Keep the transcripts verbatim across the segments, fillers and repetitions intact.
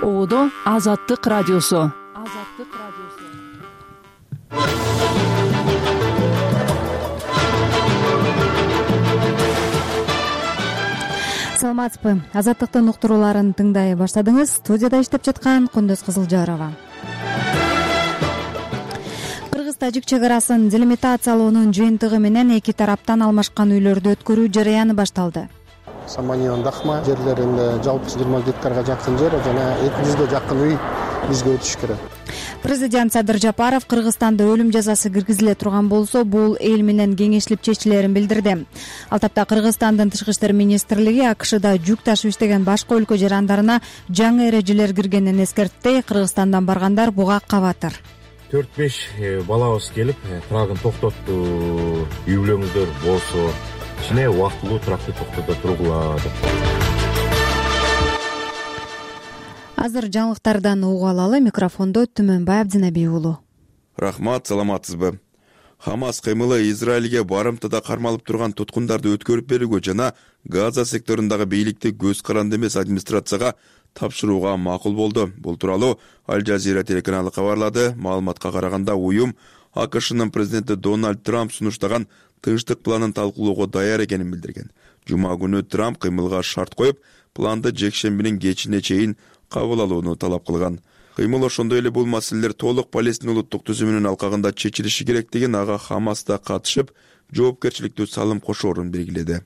Оодо Азаттык радиосу. Саламатсызбы? Азаттыктын уктурууларын тыңдай баштадыңыз. Студияда иштеп жаткан Кундуз Кызылжарова. Кыргыз-тажик чегарасын делимитациялоонун жыйынтыгы менен эки тараптан алмашкан үйлөрдү өткөрүү жарыяны башталды. Саманьон Дахма жерлеринде жалпы жыйырма гектарга жакын жер жана эки жүзгө жакын үй бизге өтүш керек. Президент Садыр Жапаров Кыргызстанда өлүм жазасы киргизиле турган болсо, бул эл менен кеңешилип чечилерин билдирди. Ал тапта Кыргызстандын Тышкы иштер министрлиги АКШда жүк ташып иштеген башка өлкө жарандарына жаңы эрежелер киргенин эскертти. Кыргызстандан баргандар буга кабатыр. төрт беш балабыз келип, трагын токтотту, үй бүлөңүздөр болсо ичине убактылуу тракты токтото тургула деп. Азыр жаңылыктардан угуп алалы. Микрофондо Түмөнбай Абдинабий уулу. Рахмат, саламатсызбы? Хамас кыймылы Израилге барымтада кармалып турган туткундарды өткөрүп берүүгө жана Газа секторундагы бийликти көз каранды эмес администрацияга тапшырууга макул болду. Бул тууралуу Аль Жазира телеканалы кабарлады. Маалыматка караганда уюм АКШнын президенти Дональд Трамп сунуштаган тынчтык планын талкуулоого даяр экенин билдирген. Жума күнү Трамп кыймылга шарт коюп, планды жекшембинин кечине чейин кабыл алууну талап кылган. Кыймыл ошондой эле бул маселелер толук Палестина улуттук түзүмүнүн алкагында чечилиши керектигин, ага Хамас да катышып, жоопкерчиликтүү салым кошоорун белгиледи.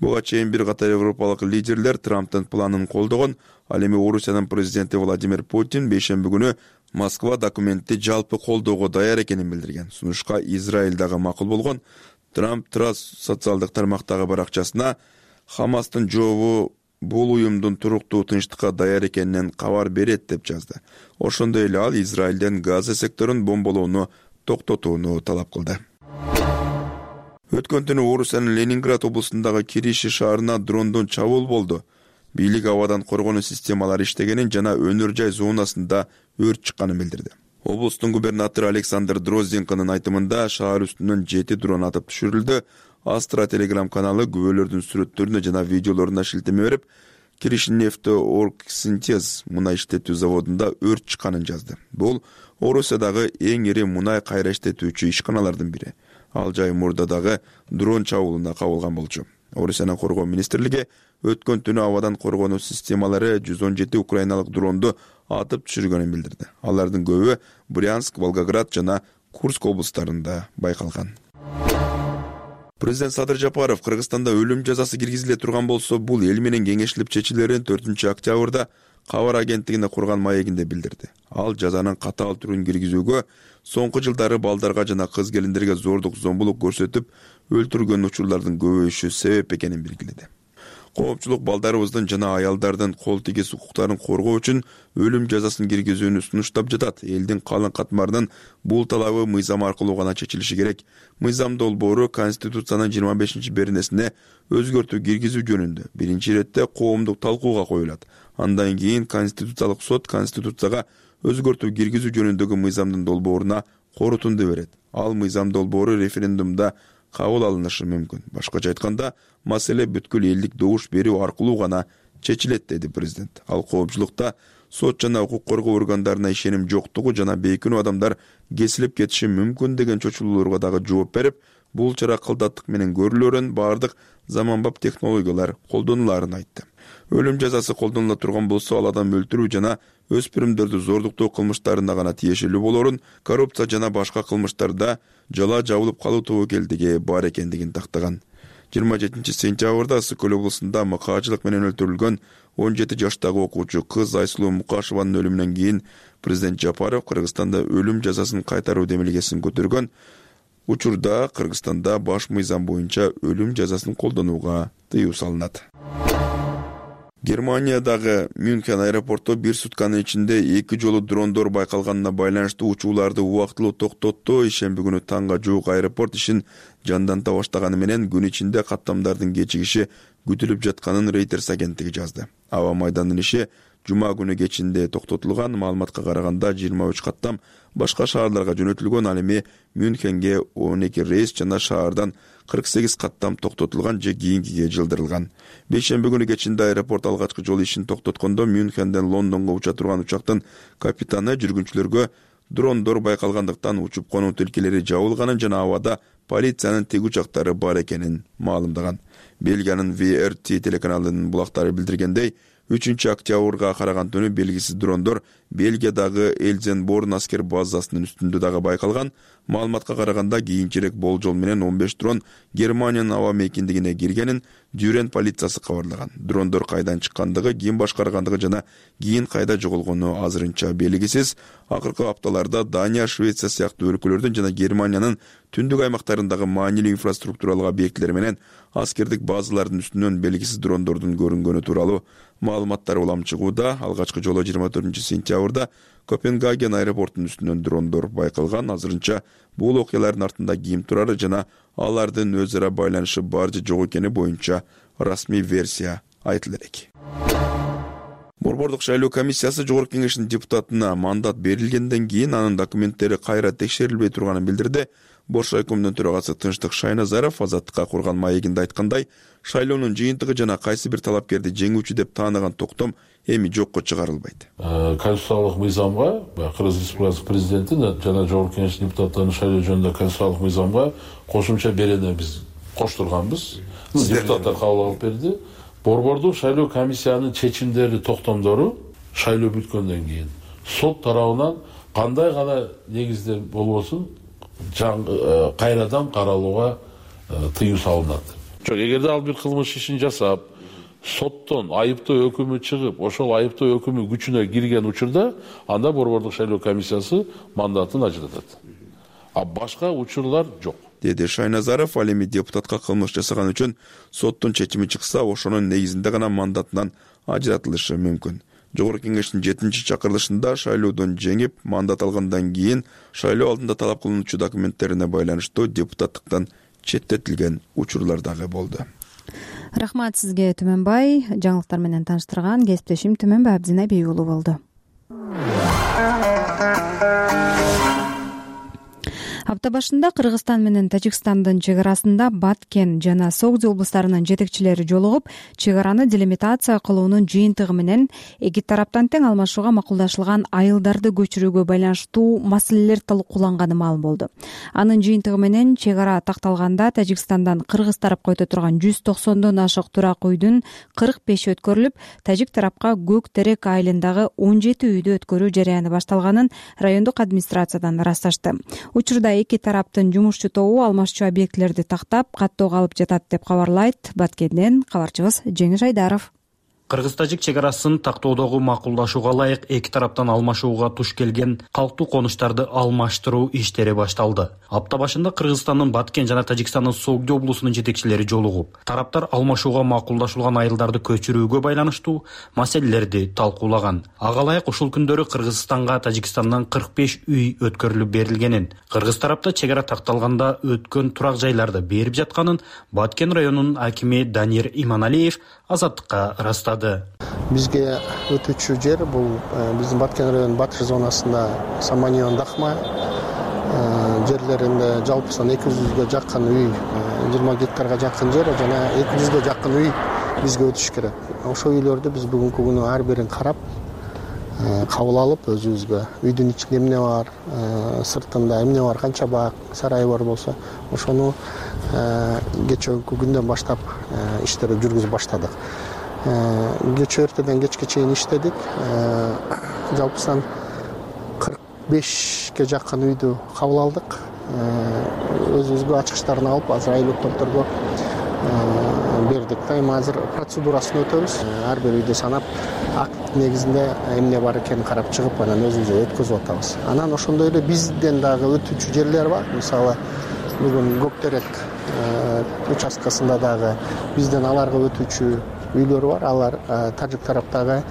Буга чейин бир катар европалык лидерлер Трамптын планын колдогон. Ал эми Орусиянын президенти Владимир Путин бейшемби күнү Москва документти жалпы колдоого даяр экенин билдирген. Сунушка Израиль дагы макул болгон. Трамп Трас социалдык тармактагы баракчасына Хамастын жообу бул уюмдун туруктуу тынчтыкка даяр экенинен кабар берет деп жазды. Ошондой эле ал Израилден Газа секторун бомболоону токтотууну талап кылды. Өткөн түнү Орусиянын Ленинград облусундагы Кириши шаарына дрондон чабуул болду. Бийлик абадан коргонуу системалары иштегенин жана өнөр жай зонасында өрт чыкканын билдирди. Облустун губернатору Александр Дрозденконун айтымында шаар үстүнөн жети дрон атып түшүрүлдү. Астра телеграм каналы күбөлөрдүн сүрөттөрүнө жана видеолоруна шилтеме берип, Киришнефтеоргсинтез мунай иштетүү заводунда өрт чыкканын жазды. Бул Орусиядагы эң ири мунай кайра иштетүүчү ишканалардын бири. Ал жай мурда дагы дрон чабуулуна кабылган болчу. Орусиянын коргоо министрлиги өткөн түнү абадан коргонуу системалары жүз он жети украиналык дронду атып түшүргөнүн билдирди. Алардын көбү Брянск, Волгоград жана Курск облустарында байкалган. Президент Садыр Жапаров Кыргызстанда өлүм жазасы киргизиле турган болсо, бул эл менен кеңешилип чечилерин төртүнчү октябрда кабар агенттигине курган маегинде билдирди. Ал жазанын катаал түрүн киргизүүгө, соңку жылдары балдарга жана кыз келиндерге зордук зомбулук көрсөтүп өлтүргөн учурлардын көбөйүшү себеп экенин белгиледи. Коопчулук балдарыбыздын жана аялдардын кол тигиз укуктарын коргоо үчүн өлүм жазасын киргизүүнү сунуштап жатат. Элдин калың катмарынын бул талабы мыйзам аркылуу гана чечилиши керек. Мыйзам долбоору Конституциянын жыйырма бешинчи беренесине өзгөртүү киргизүү жөнүндө биринчи иретте коомдук талкууга коюлат. Андан кийин Конституциялык сот Конституцияга өзгөртүү киргизүү жөнүндөгү мыйзамдын долбооруна корутунду берет. Ал мыйзам долбоору референдумда кабыл алынышы мүмкүн. Башкача айтканда, маселе бүткүл элдик добуш берүү аркылуу гана чечилет, деди президент. Ал коопчулукта сот жана укук коргоо органдарына ишеним жоктугу жана бейкүнөө адамдар кесилип кетиши мүмкүн деген чочулууларга дагы жооп берип, бул чара кылдаттык менен көрүлөрүн, баардык заманбап технологиялар колдонуларын айтты. Өлүм жазасы колдонула турган болсо, ал адам өлтүрүү жана өспүрүмдөрдү зордуктоо кылмыштарына гана тиешелүү болорун, коррупция жана башка кылмыштарда жала жабылып калуу тобокелдиги бар экендигин тактаган. жыйырма жетинчи сентябрда Ысык Көл облусунда мыкаачылык менен өлтүрүлгөн он жети жаштагы окуучу кыз Айсулуу Мукашеванын өлүмүнөн кийин президент Жапаров Кыргызстанда өлүм жазасын кайтаруу демилгесин көтөргөн. Учурда Кыргызстанда баш мыйзам боюнча өлүм жазасын колдонууга тыюу салынат. Германиядагы Мюнхен аэропорту бир сутканын ичинде эки жолу дрондор байкалганына байланыштуу учууларды убактылуу токтотту. Ишемби күнү таңга жуук аэропорт ишин жандanta баштаганы менен күн ичинде каттамдардын кечигиши күтүлүп жатканын Reuters агенттиги жазды. Аба майданынын иши жума күнү кечинде токтотулган. Маалыматка караганда жыйырма үч каттам башка шаарларга жөнөтүлгөн. Ал эми Мюнхенге он эки рейс жана шаардан кырк сегиз каттам токтотулган же кийинкиге жылдырылган. Бейшемби күнү кечинде аэропорт алгачкы жол ишин токтоткондо Мюнхенден Лондонго уча турган учактын капитаны жүргүнчүлөргө дрондор байкалгандыктан учуп конуу тилкелери жабылганын жана абада полициянын тик учактары бар экенин маалымдаган. Бельгиянын ви эр ти телеканалынын булактары билдиргендей, үчүнчү октябрга караган түнү белгисиз дрондор Бельгиядагы Эльзенборн аскер базасынын үстүндө дагы байкалган. Маалыматка караганда кийинчерээк болжол менен он беш дрон Германиянын аба мейкиндигине киргенин Дюрен полициясы кабарлаган. Дрондор кайдан чыккандыгы, ким башкаргандыгы жана кийин кайда жоголгону азырынча белгисиз. Акыркы апталарда Дания, Швеция сыяктуу өлкөлөрдүн жана Германиянын түндүк аймактарындагы маанилүү инфраструктуралык объектилер менен аскердик базалардын үстүнөн белгисиз дрондордун көрүнгөнү тууралуу маалыматтар улам чыгууда. Алгачкы жолу жыйырма төртүнчү сентябрда Копенгаген аэропортунун үстүнөн дрондор байкалган. Азырынча бул окуялардын артында ким турары жана алардын өз ара байланышы бар же жок экени боюнча расмий версия айтыла элек. Борбордук шайлоо комиссиясы Жогорку Кеңештин депутатына мандат берилгенден кийин анын документтери кайра текшерилбей турганын билдирди. Бош райкомдун төрагасы Тынчтык Шайназаров Азаттыкка курган маегинде айткандай, шайлоонун жыйынтыгы жана кайсы бир талапкерди жеңүүчү деп тааныган токтом эми жокко чыгарылбайт. Конституциялык мыйзамга, Кыргыз Республикасы президенти жана Жогорку Кеңештин депутаттарын шайлоо жөнүндө конституциялык мыйзамга кошумча берени биз коштурганбыз. Депутаттар кабыл алып берди. Борбордук шайлоо комиссиянын чечимдери, токтомдору шайлоо бүткөндөн кийин сот тарабынан кандай гана негизде болбосун кайрадан каралууга тыюу салынат. Жок, эгерде ал бир кылмыш ишин жасап, соттон айыптоо өкүмү чыгып, ошол айыптоо өкүмү күчүнө кирген учурда, анда борбордук шайлоо комиссиясы мандатын ажыратат. А башка учурлар жок, деди Шайназаров. Ал эми депутатка кылмыш жасаган үчүн соттун чечими чыкса, ошонун негизинде гана мандатынан ажыратылышы мүмкүн. Жогорку Кеңештин жетинчи чакырылышында шайлоодон жеңип, мандат алгандан кийин шайлоо алдында талап кылынуучу документтерине байланыштуу депутаттыктан четтетилген учурлар дагы болду. Рахмат сизге, Түмөнбай. Жаңылыктар менен тааныштырган кесиптешим Түмөнбай Абдинабей уулу болду. Апта башында Кыргызстан менен Тажикстандын чек арасында Баткен жана Согди облустарынын жетекчилери жолугуп, чек араны делимитация кылуунун жыйынтыгы менен эки тараптан тең алмашууга макулдашылган айылдарды көчүрүүгө байланыштуу маселелер талкууланганы маалым болду. Анын жыйынтыгы менен чек ара такталганда Тажикстандан Кыргыз тарапка өтө турган жүз токсондон ашык турак үйдүн кырк беши өткөрүлүп, Тажик тарапка Көк Терек айылындагы он жети үйдү өткөрүү жарыяны башталганын райондук администрациядан ырасташты. Учурда эки тараптын жумушчу тобу алмашчу объектилерди тактап, каттоого алып жатат деп кабарлайт Баткенден кабарчыбыз Жеңиш Айдаров. Кыргыз-Тажик чек арасын тактоодогу макулдашууга ылайык эки тараптан алмашууга туш келген калктуу конуштарды алмаштыруу иштери башталды. Апта башында Кыргызстандын Баткен жана Тажикстандын Согди облусунун жетекчилери жолугуп, тараптар алмашууга макулдашылган айылдарды көчүрүүгө байланыштуу маселелерди талкуулаган. Ага ылайык ушул күндөрү Кыргызстанга Тажикстандан кырк беш үй өткөрүлүп берилгенин, Кыргыз тарапта чек ара такталганда өткөн турак жайларды берип жатканын Баткен районунун акими Данир Иманалиев Азаттыкка ырастады. Бизге өтүүчү жер бул биздин Баткен районунун батыш зонасында Саманион Дахма жерлеринде жалпысынан эки жүзгө жакын үй, жыйырма гектарга жакын жер жана эки жүзгө жакын үй бизге өтүш керек. Ошол үйлөрдү биз бүгүнкү күнү ар бирин карап, кабыл алып өзүбүзгө үйдүн ичинде эмне бар, сыртында эмне бар, канча бак, сарай бар болсо, ошону кечээки күндөн баштап иштерди жүргүзүп баштадык. Кечээ эртеден кечке чейин иштедик. Жалпысынан кырк бешке жакын үйдү кабыл алдык. Өзүбүзгө ачкычтарын алып, азыр айлык топторго бердик. Эми азыр процедурасын өтөбүз. Ар бир үйдү санап, акт негизинде эмне бар экенин карап чыгып, анан өзүбүз өткөзүп атабыз. Анан ошондой эле бизден дагы өтүүчү жерлер бар. Мисалы, бүгүн Көк Терек участкасында дагы бизден аларга өтүүчү үйлөр бар. Алар тажик тараптагы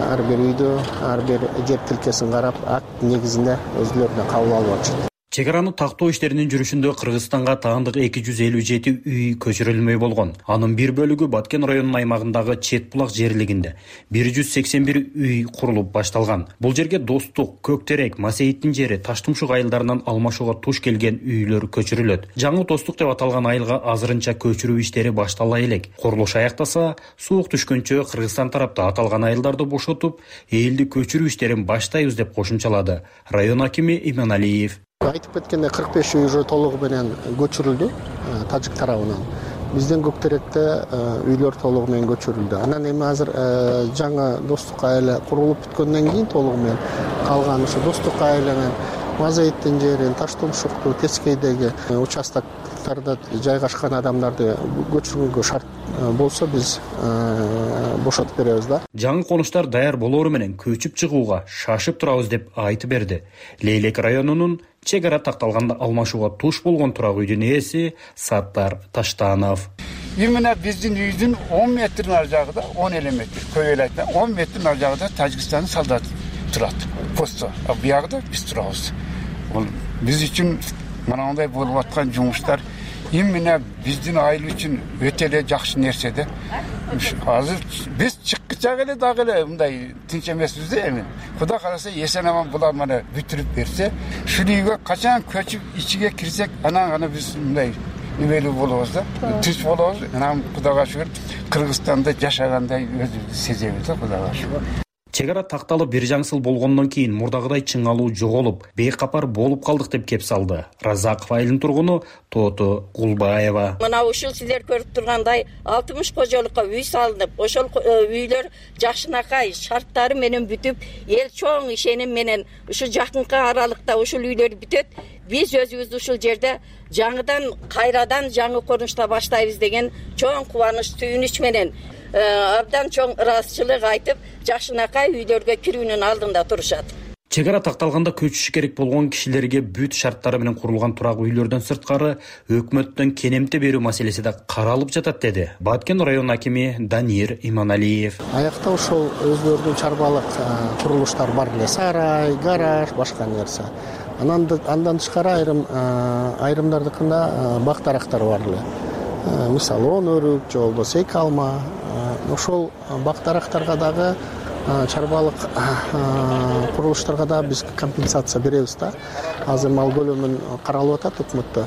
ар бир үйдө ар бир жер тилкесин карап, акт негизинде өзүлөрүнө кабыл алып атышат. Чек араны тактоо иштеринин жүрүшүндө Кыргызстанга таандык эки жүз элүү жети үй көчүрүлмөй болгон. Анын бир бөлүгү Баткен районунун аймагындагы Чет булак жерлигинде бир жүз сексен бир үй курулуп башталган. Бул жерге Достук, Көктерек, Масейиттин жери, Таштумшук айылдарынан алмашууга туш келген үйлөр көчүрүлөт. Жаңы Достук деп аталган айылга азырынча көчүрүү иштери баштала элек. Курулуш аяктаса, суук түшкөнчө Кыргызстан тарапта аталган айылдарды бошотуп, элди көчүрүү иштерин баштайбыз деп кошумчалады район акими Иманалиев. Айтып кеткенде кырк беш үй уже толугу менен көчүрүлдү тажик тарабынан. Бизден Көктеректе үйлөр толугу менен көчүрүлдү. Анан эми азыр жаңы Достук айылы курулуп бүткөндөн кийин толугу менен калган ушу Достук айылынын Мазаиттин жерин, Таштумшукту, Тескейдеги участоктарда жайгашкан адамдарды көчүрүүгө шарт болсо биз бошотуп беребиз да. Жаңы конуштар даяр болоору менен көчүп чыгууга шашып турабыз деп айтып берди. Лейлек районунун чек ара такталганда алмашууга туш болгон турак үйдүн ээси Саттар Таштанов. Именно биздин үйдүн он метрдин ар жагында, он элүү метр, көп эле айтпайм, он метрдин ар жагында Тажикстандын солдаты турат. Посто. А буягда биз турабыз. Бул биз үчүн мынандай болуп аткан жумуштар именно биздин айыл үчүн өтө эле жакшы нерсе да. Азыр биз чыккычак эле дагы эле мындай тынч эмеспиз да эми. Кудай кааласа эсен аман булар мана бүтүрүп берсе, ушул үйгө качан көчүп ичиге кирсек, анан гана биз мындай эмелүү болобуз да. Түз болобуз. Анан Кудайга шүгүр Кыргызстанда жашагандай өзүбүздү сезебиз да, Кудайга шүгүр. Чек ара такталып бир жаңсыл болгондон кийин мурдагыдай чыңалуу жоголуп, бейкапар болуп калдык деп кеп салды Разаков айылынын тургуну Тото Гулбаева. Мына ушул силер көрүп тургандай алтымыш кожолукка үй салынып, ошол үйлөр жакшынакай шарттары менен бүтүп, эл чоң ишеним менен ушул жакынкы аралыкта ушул үйлөр бүтөт. Биз өзүбүз ушул жерде жаңыдан кайрадан жаңы корунушта баштайбыз деген чоң кубаныч, сүйүнүч менен абдан чоң ыраазычылык айтып, жакшынакай үйлөргө кирүүнүн алдында турушат. Чек ара такталганда көчүшү керек болгон кишилерге бүт шарттары менен курулган турак үйлөрдөн сырткары өкмөттөн кенемте берүү маселеси да каралып жатат, деди Баткен район акими Данир Иманалиев. Аякта ошол өздөрүнүн чарбалык курулуштар бар эле, сарай, гараж, башка нерсе. Анан андан тышкары айрым айрымдардыкында бак дарактар бар эле. Мисалы он өрүк, же болбосо эки алма. Ошол бак дарактарга дагы чарбалык курулуштарга да биз компенсация беребиз да. Азыр мал көлөмүн каралып атат өкмөттө.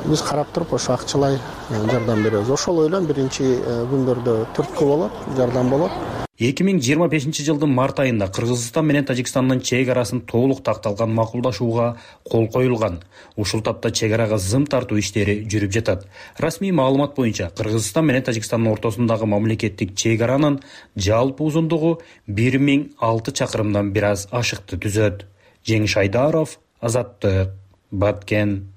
Биз карап туруп ошо акчалай жардам беребиз. Ошол ойлон биринчи күндөрдө түрткү болот, жардам болот. эки миң жыйырма бешинчи жылдын март айында Кыргызстан менен Тажикстандын чек арасын толук такталган макулдашууга кол коюлган. Ушул тапта чек арага зым тартуу иштери жүрүп жатат. Расмий маалымат боюнча Кыргызстан менен Тажикстандын ортосундагы мамлекеттик чек аранын жалпы узундугу бир миң алты чакырымдан бир аз ашыкты түзөт. Жеңиш Айдаров, Азаттык, Баткен.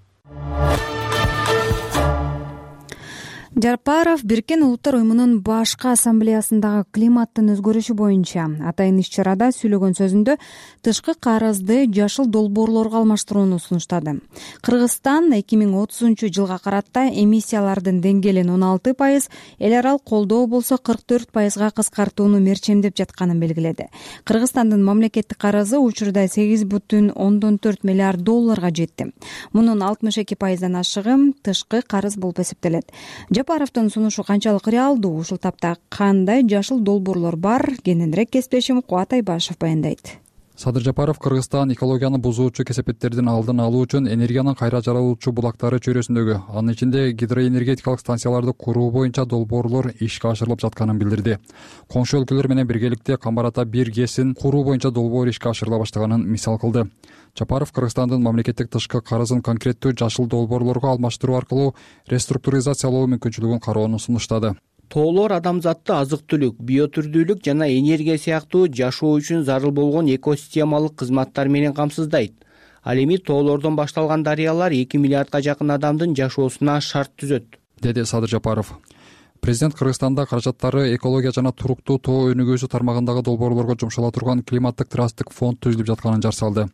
Жапаров Бириккен Улуттар уюмунун башкы ассамблеясындагы климаттын өзгөрүшү боюнча атайын иш-чарада сүйлөгөн сөзүндө тышкы карызды жашыл долбоорлорго алмаштырууну сунуштады. Кыргызстан эки миң отузунчу жылга карата эмиссиялардын деңгээлин он алты пайыз, эл аралык колдоо болсо кырк төрт пайызга кыскартууну мерчемдеп жатканын белгиледи. Кыргызстандын мамлекеттик карызы учурда сегиз бүтүн ондон төрт миллиард долларга жетти. Мунун алтымыш эки пайыздан ашыгы тышкы карыз болуп эсептелет. Жапаровдун сунушу канчалык реалдуу, ушул тапта кандай жашыл долбоорлор бар? Кененирээк кесиптешим Кубат Айбашев баяндайт. Садыр Жапаров Кыргызстан экологияны бузуучу кесепеттердин алдын алуу үчүн энергиянын кайра жаралуучу булактары чөйрөсүндөгү, анын ичинде гидроэнергетикалык станцияларды куруу боюнча долбоорлор ишке ашырылып жатканын билдирди. Коңшу өлкөлөр менен биргеликте Камбар-Ата бир гэсин куруу боюнча долбоор ишке ашырыла баштаганын мисал кылды. Жапаров Кыргызстандын мамлекеттик тышкы карызын конкреттүү жашыл долбоорлорго алмаштыруу аркылуу реструктуризациялоо мүмкүнчүлүгүн кароону сунуштады. Тоолор адамзатты азык-түлүк, биотүрдүүлүк жана энергия сыяктуу жашоо үчүн зарыл болгон экосистемалык кызматтар менен камсыздайт. Ал эми тоолордон башталган дарыялар эки миллиардга жакын адамдын жашоосуна шарт түзөт, деди Садыр Жапаров. Президент Кыргызстанда каражаттары экология жана туруктуу тоо өнүгүүсү тармагындагы долбоорлорго жумшала турган климаттык трасттык фонд түзүлүп жатканын жар салды.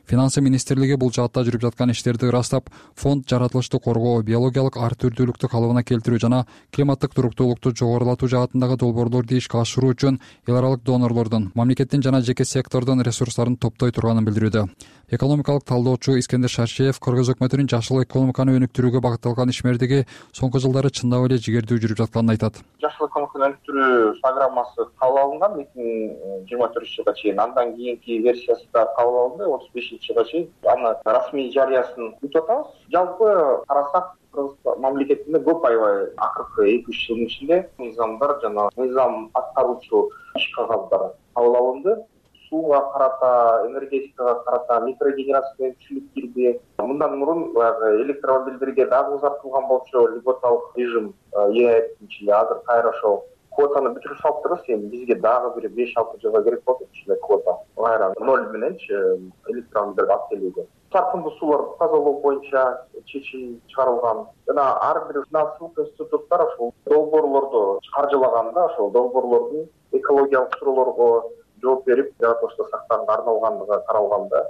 Финансы министрлиги бул жаатта жүрүп жаткан иштерди ырастап, фонд жаратылышты коргоо, биологиялык ар түрдүүлүктү калыбына келтирүү жана климаттык туруктуулукту жогорулатуу жаатындагы долбоорлорду ишке ашыруу үчүн эл аралык донорлордун, мамлекеттин жана жеке сектордун ресурстарын топтой турганын билдирүүдө. Экономикалык талдоочу Искендер Шаршеев кыргыз өкмөтүнүн жашыл экономиканы өнүктүрүүгө багытталган ишмердиги соңку жылдары чындап эле жигердүү жүрүп жатканын айтат. Жашыл экономиканы өнүктүрүү программасы кабыл алынган эки миң жыйырма төртүнчү жылга чейин, андан кийинки версиясы да кабыл алынды отуз бешинчи жылга чейин. Аны расмий жарыясын күтүп атабыз. Жалпы карасак Кыргыз мамлекетинде көп аябай акыркы эки үч жылдын ичинде мыйзамдар жана мыйзам аткаруучу иш кагаздары кабыл алынды. Сууга карата, энергетикага карата микрогенерация күчүлүк кирди. Мындан мурун баягы электромобилдерге дагы узартылган болчу льготалык режим ээтинчи эле азыр кайра ошол квотаны бүтүрүп салыптырбыз. Эми бизге дагы бир беш алты жылга керек болот ушундай квота. Кайра ноль мененчи электромобилдерди алып келүүгө. Саркындуу сууларды тазалоо боюнча чечим чыгарылган. Жана ар бир финансылык институттар ошол долбоорлорду каржылаганда ошол долбоорлордун экологиялык суроолорго жооп берип, жаратылышта сактаганга арналгандыгы каралган да.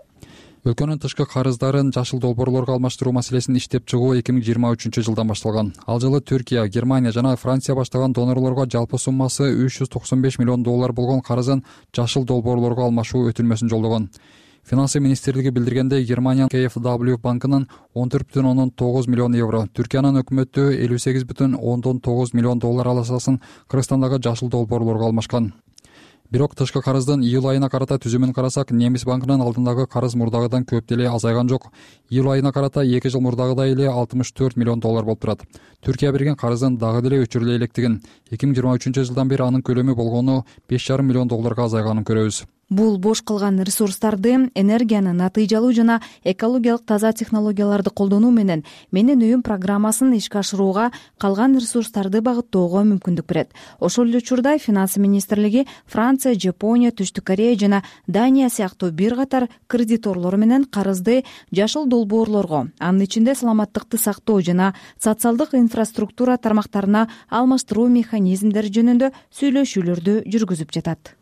Өлкөнүн тышкы карыздарын жашыл долбоорлорго алмаштыруу маселесин иштеп чыгуу эки миң жыйырма үчүнчү жылдан башталган. Ал жылы Түркия, Германия жана Франция баштаган донорлорго жалпы суммасы үч жүз токсон беш миллион доллар болгон карызын жашыл долбоорлорго алмашуу өтүнмөсүн жолдогон. Финансы министрлиги билдиргендей, Германиянын кей эф дабл ю банкынын он төрт бүтүн ондон тогуз миллион евро, Түркиянын өкмөтү элүү сегиз бүтүн ондон тогуз миллион доллар алашасын Кыргызстандагы жашыл долбоорлорго алмашкан. Бирок тышкы карыздын июль айына карата түзүмүн карасак, Немис банкынын алдындагы карыз мурдагыдан көп деле азайган жок. Июль айына карата эки жыл мурдагыдай эле алтымыш төрт миллион доллар болуп турат. Түркия берген карыздын дагы деле өчүрүлө электигин, эки миң жыйырма үчүнчү жылдан бери анын көлөмү болгону беш жарым миллион долларга азайганын көрөбүз. Бул бош калган ресурстарды энергияны натыйжалуу жана экологиялык таза технологияларды колдонуу менен Менин үйүм программасын ишке ашырууга, калган ресурстарды багыттоого мүмкүндүк берет. Ошол эле учурда Финансы министрлиги Франция, Жапония, Түштүк Корея жана Дания сыяктуу бир катар кредиторлор менен карызды жашыл долбоорлорго, анын ичинде саламаттыкты сактоо жана социалдык инфраструктура тармактарына алмаштыруу механизмдери жөнүндө сүйлөшүүлөрдү жүргүзүп жатат,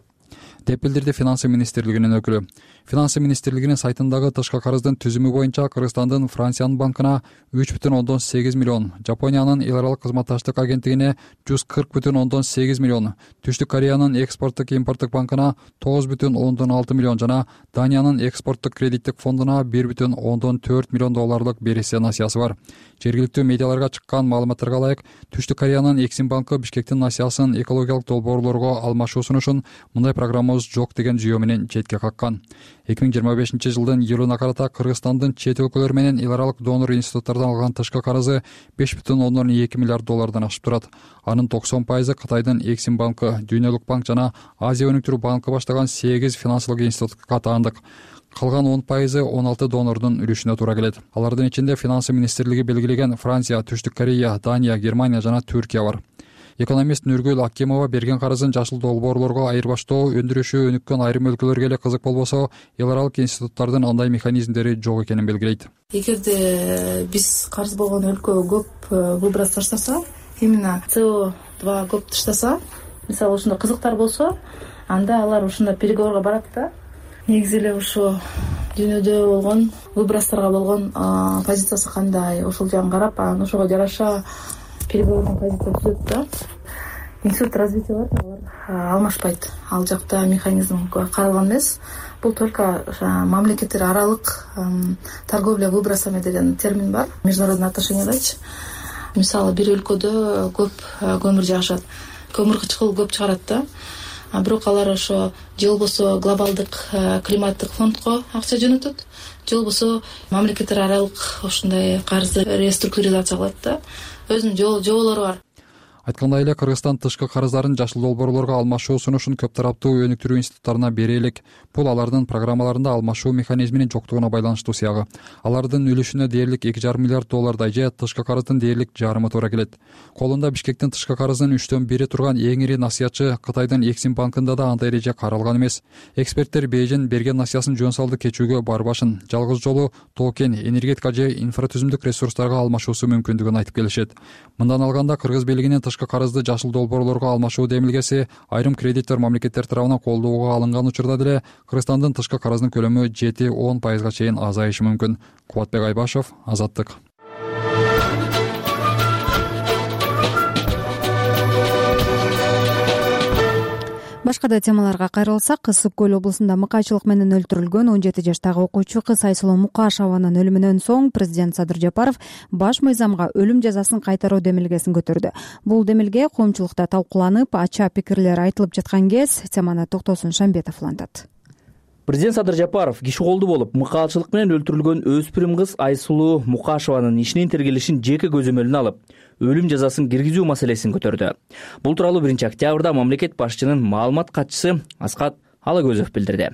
деп билдирди Финансы министрлигинин өкүлү. Финансы министрлигинин сайтындагы тышкы карыздын түзүмү боюнча Кыргызстандын Франциянын банкына үч бүтүн ондон сегиз миллион, Жапониянын эл аралык кызматташтык агенттигине жүз кырк бүтүн ондон сегиз миллион, Түштүк Кореянын экспорттук импорттук банкына тогуз бүтүн ондон алты миллион жана Даниянын экспорттук кредиттик фондуна бир бүтүн ондон төрт миллион долларлык бересия насыясы бар. Жергиликтүү медиаларга чыккан маалыматтарга ылайык, Түштүк Кореянын Эксим банкы Бишкектин насыясын экологиялык долбоорлорго алмашуу сунушун мындай программабыз жок деген жүйө менен четке каккан. эки миң жыйырма бешинчи жылдын июлуна карата Кыргызстандын чет өлкөлөр менен эл аралык донор институттардан алган тышкы карызы беш бүтүн ондон эки миллиард доллардан ашып турат. Анын токсон пайызы Кытайдын Эксим банкы, Дүйнөлүк банк жана Азия өнүктүрүү банкы баштаган сегиз финансылык институтка таандык. Калган он пайызы он алты донордун үлүшүнө туура келет. Алардын ичинде Финансы министрлиги белгилеген Франция, Түштүк Корея, Дания, Германия жана Түркия бар. Экономист Нургүл Акимова берген карызын жашыл долбоорлорго айырбаштоо, өндүрүшү өнүккөн айрым өлкөлөргө эле кызык болбосо, эл аралык институттардын андай механизмдери жок экенин белгилейт. Эгерде биз карыз болгон өлкө көп выброс таштаса, именно си о два көп таштаса, мисалы ушундай кызыктар болсо, анда алар ушундай переговорго барат да. Негизи эле ушу дүйнөдө болгон выбросторго болгон позициясы кандай, ошол жагын карап, анан ошого жараша переговорный позиция түзөт да. Институт развития бар, алар алмашпайт. Ал жакта механизм каралган эмес. Бул только мамлекеттер аралык торговля выбросами деген термин бар. Международный отношениядачы. Мисалы бир өлкөдө көп көмүр жагышат, көмүр кычкыл көп чыгарат да. А бирок алар ошо же болбосо глобалдык климаттык фондко акча жөнөтөт, же болбосо мамлекеттер аралык ушундай карызды реструктуризация кылат да. Өзүнүн жоболору бар. Айткандай эле, Кыргызстан тышкы карыздарын жашыл долбоорлорго алмашуу сунушун көп тараптуу өнүктүрүү институттарына бере элек. Бул алардын программаларында алмашуу механизминин жоктугуна байланыштуу сыягы. Алардын үлүшүнө дээрлик эки жарым миллиард доллардай же тышкы карыздын дээрлик жарымы туура келет. Колунда Бишкектин тышкы карызынын үчтөн бири турган эң ири насыятчы Кытайдын Эксим банкында да андай эреже каралган эмес. Эксперттер Бейжин берген насыясын жөн салды кечүүгө барбашын, жалгыз жолу токен, энергетика же инфратүзүмдүк ресурстарга алмашуусу мүмкүндүгүн айтып келишет. Мындан алганда кыргыз бийлигинин тышкы карызды жашыл долбоорлорго алмашуу демилгеси айрым кредитор мамлекеттер тарабынан колдоого алынган учурда деле Кыргызстандын тышкы карыздын көлөмү жети он пайызга чейин азайышы мүмкүн. Кубатбек Айбашев, Азаттык. Башка да темаларга кайрылсак, Ысык көл облусунда мыкаачылык менен өлтүрүлгөн он жети жаштагы окуучу кыз Айсулуу Мукашеванын өлүмүнөн соң президент Садыр Жапаров баш мыйзамга өлүм жазасын кайтаруу демилгесин көтөрдү. Бул демилге коомчулукта талкууланып, ача пикирлер айтылып жаткан кез теманы Токтосун Шамбетов улантат. Президент Садыр Жапаров киши колду болуп мыкаачылык менен өлтүрүлгөн өспүрүм кыз Айсулуу Мукашеванын ишинин тергелишин жеке көзөмөлүнө алып, өлүм жазасын киргизүү маселесин көтөрдү. Бул тууралуу биринчи октябрда мамлекет башчынын маалымат катчысы Аскат Алагөзов билдирди.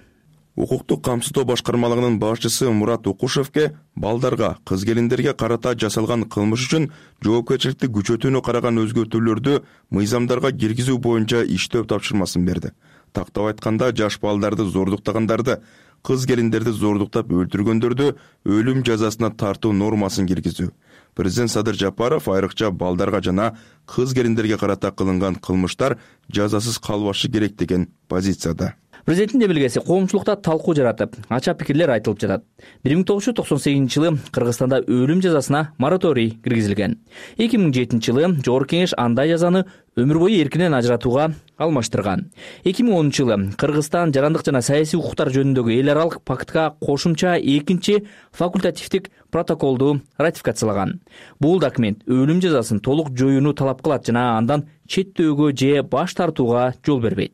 Укуктук камсыздоо башкармалыгынын башчысы Мурат Укушевке балдарга, кыз келиндерге карата жасалган кылмыш үчүн жоопкерчиликти күчөтүүнү караган өзгөртүүлөрдү мыйзамдарга киргизүү боюнча иштөө тапшырмасын берди. Тактап айтканда, жаш балдарды зордуктагандарды, кыз келиндерди зордуктап өлтүргөндөрдү өлүм жазасына тартуу нормасын киргизүү. Президент Садыр Жапаров айрыкча балдарга жана кыз келиндерге карата кылынган кылмыштар жазасыз калбашы керек деген позицияда. Президенттин демилгеси коомчулукта талкуу жаратып, ача пикирлер айтылып жатат. бир миң тогуз жүз токсон сегизинчи жылы Кыргызстанда өлүм жазасына мораторий киргизилген. эки миң жетинчи жылы Жогорку Кеңеш андай жазаны өмүр бою эркинен ажыратууга алмаштырган. эки миң онунчу жылы Кыргызстан жарандык жана саясий укуктар жөнүндөгү эл аралык пактка кошумча экинчи факультативдик протоколду ратификациялаган. Бул документ өлүм жазасын толук жоюуну талап кылат жана андан четтөөгө же баш тартууга жол бербейт.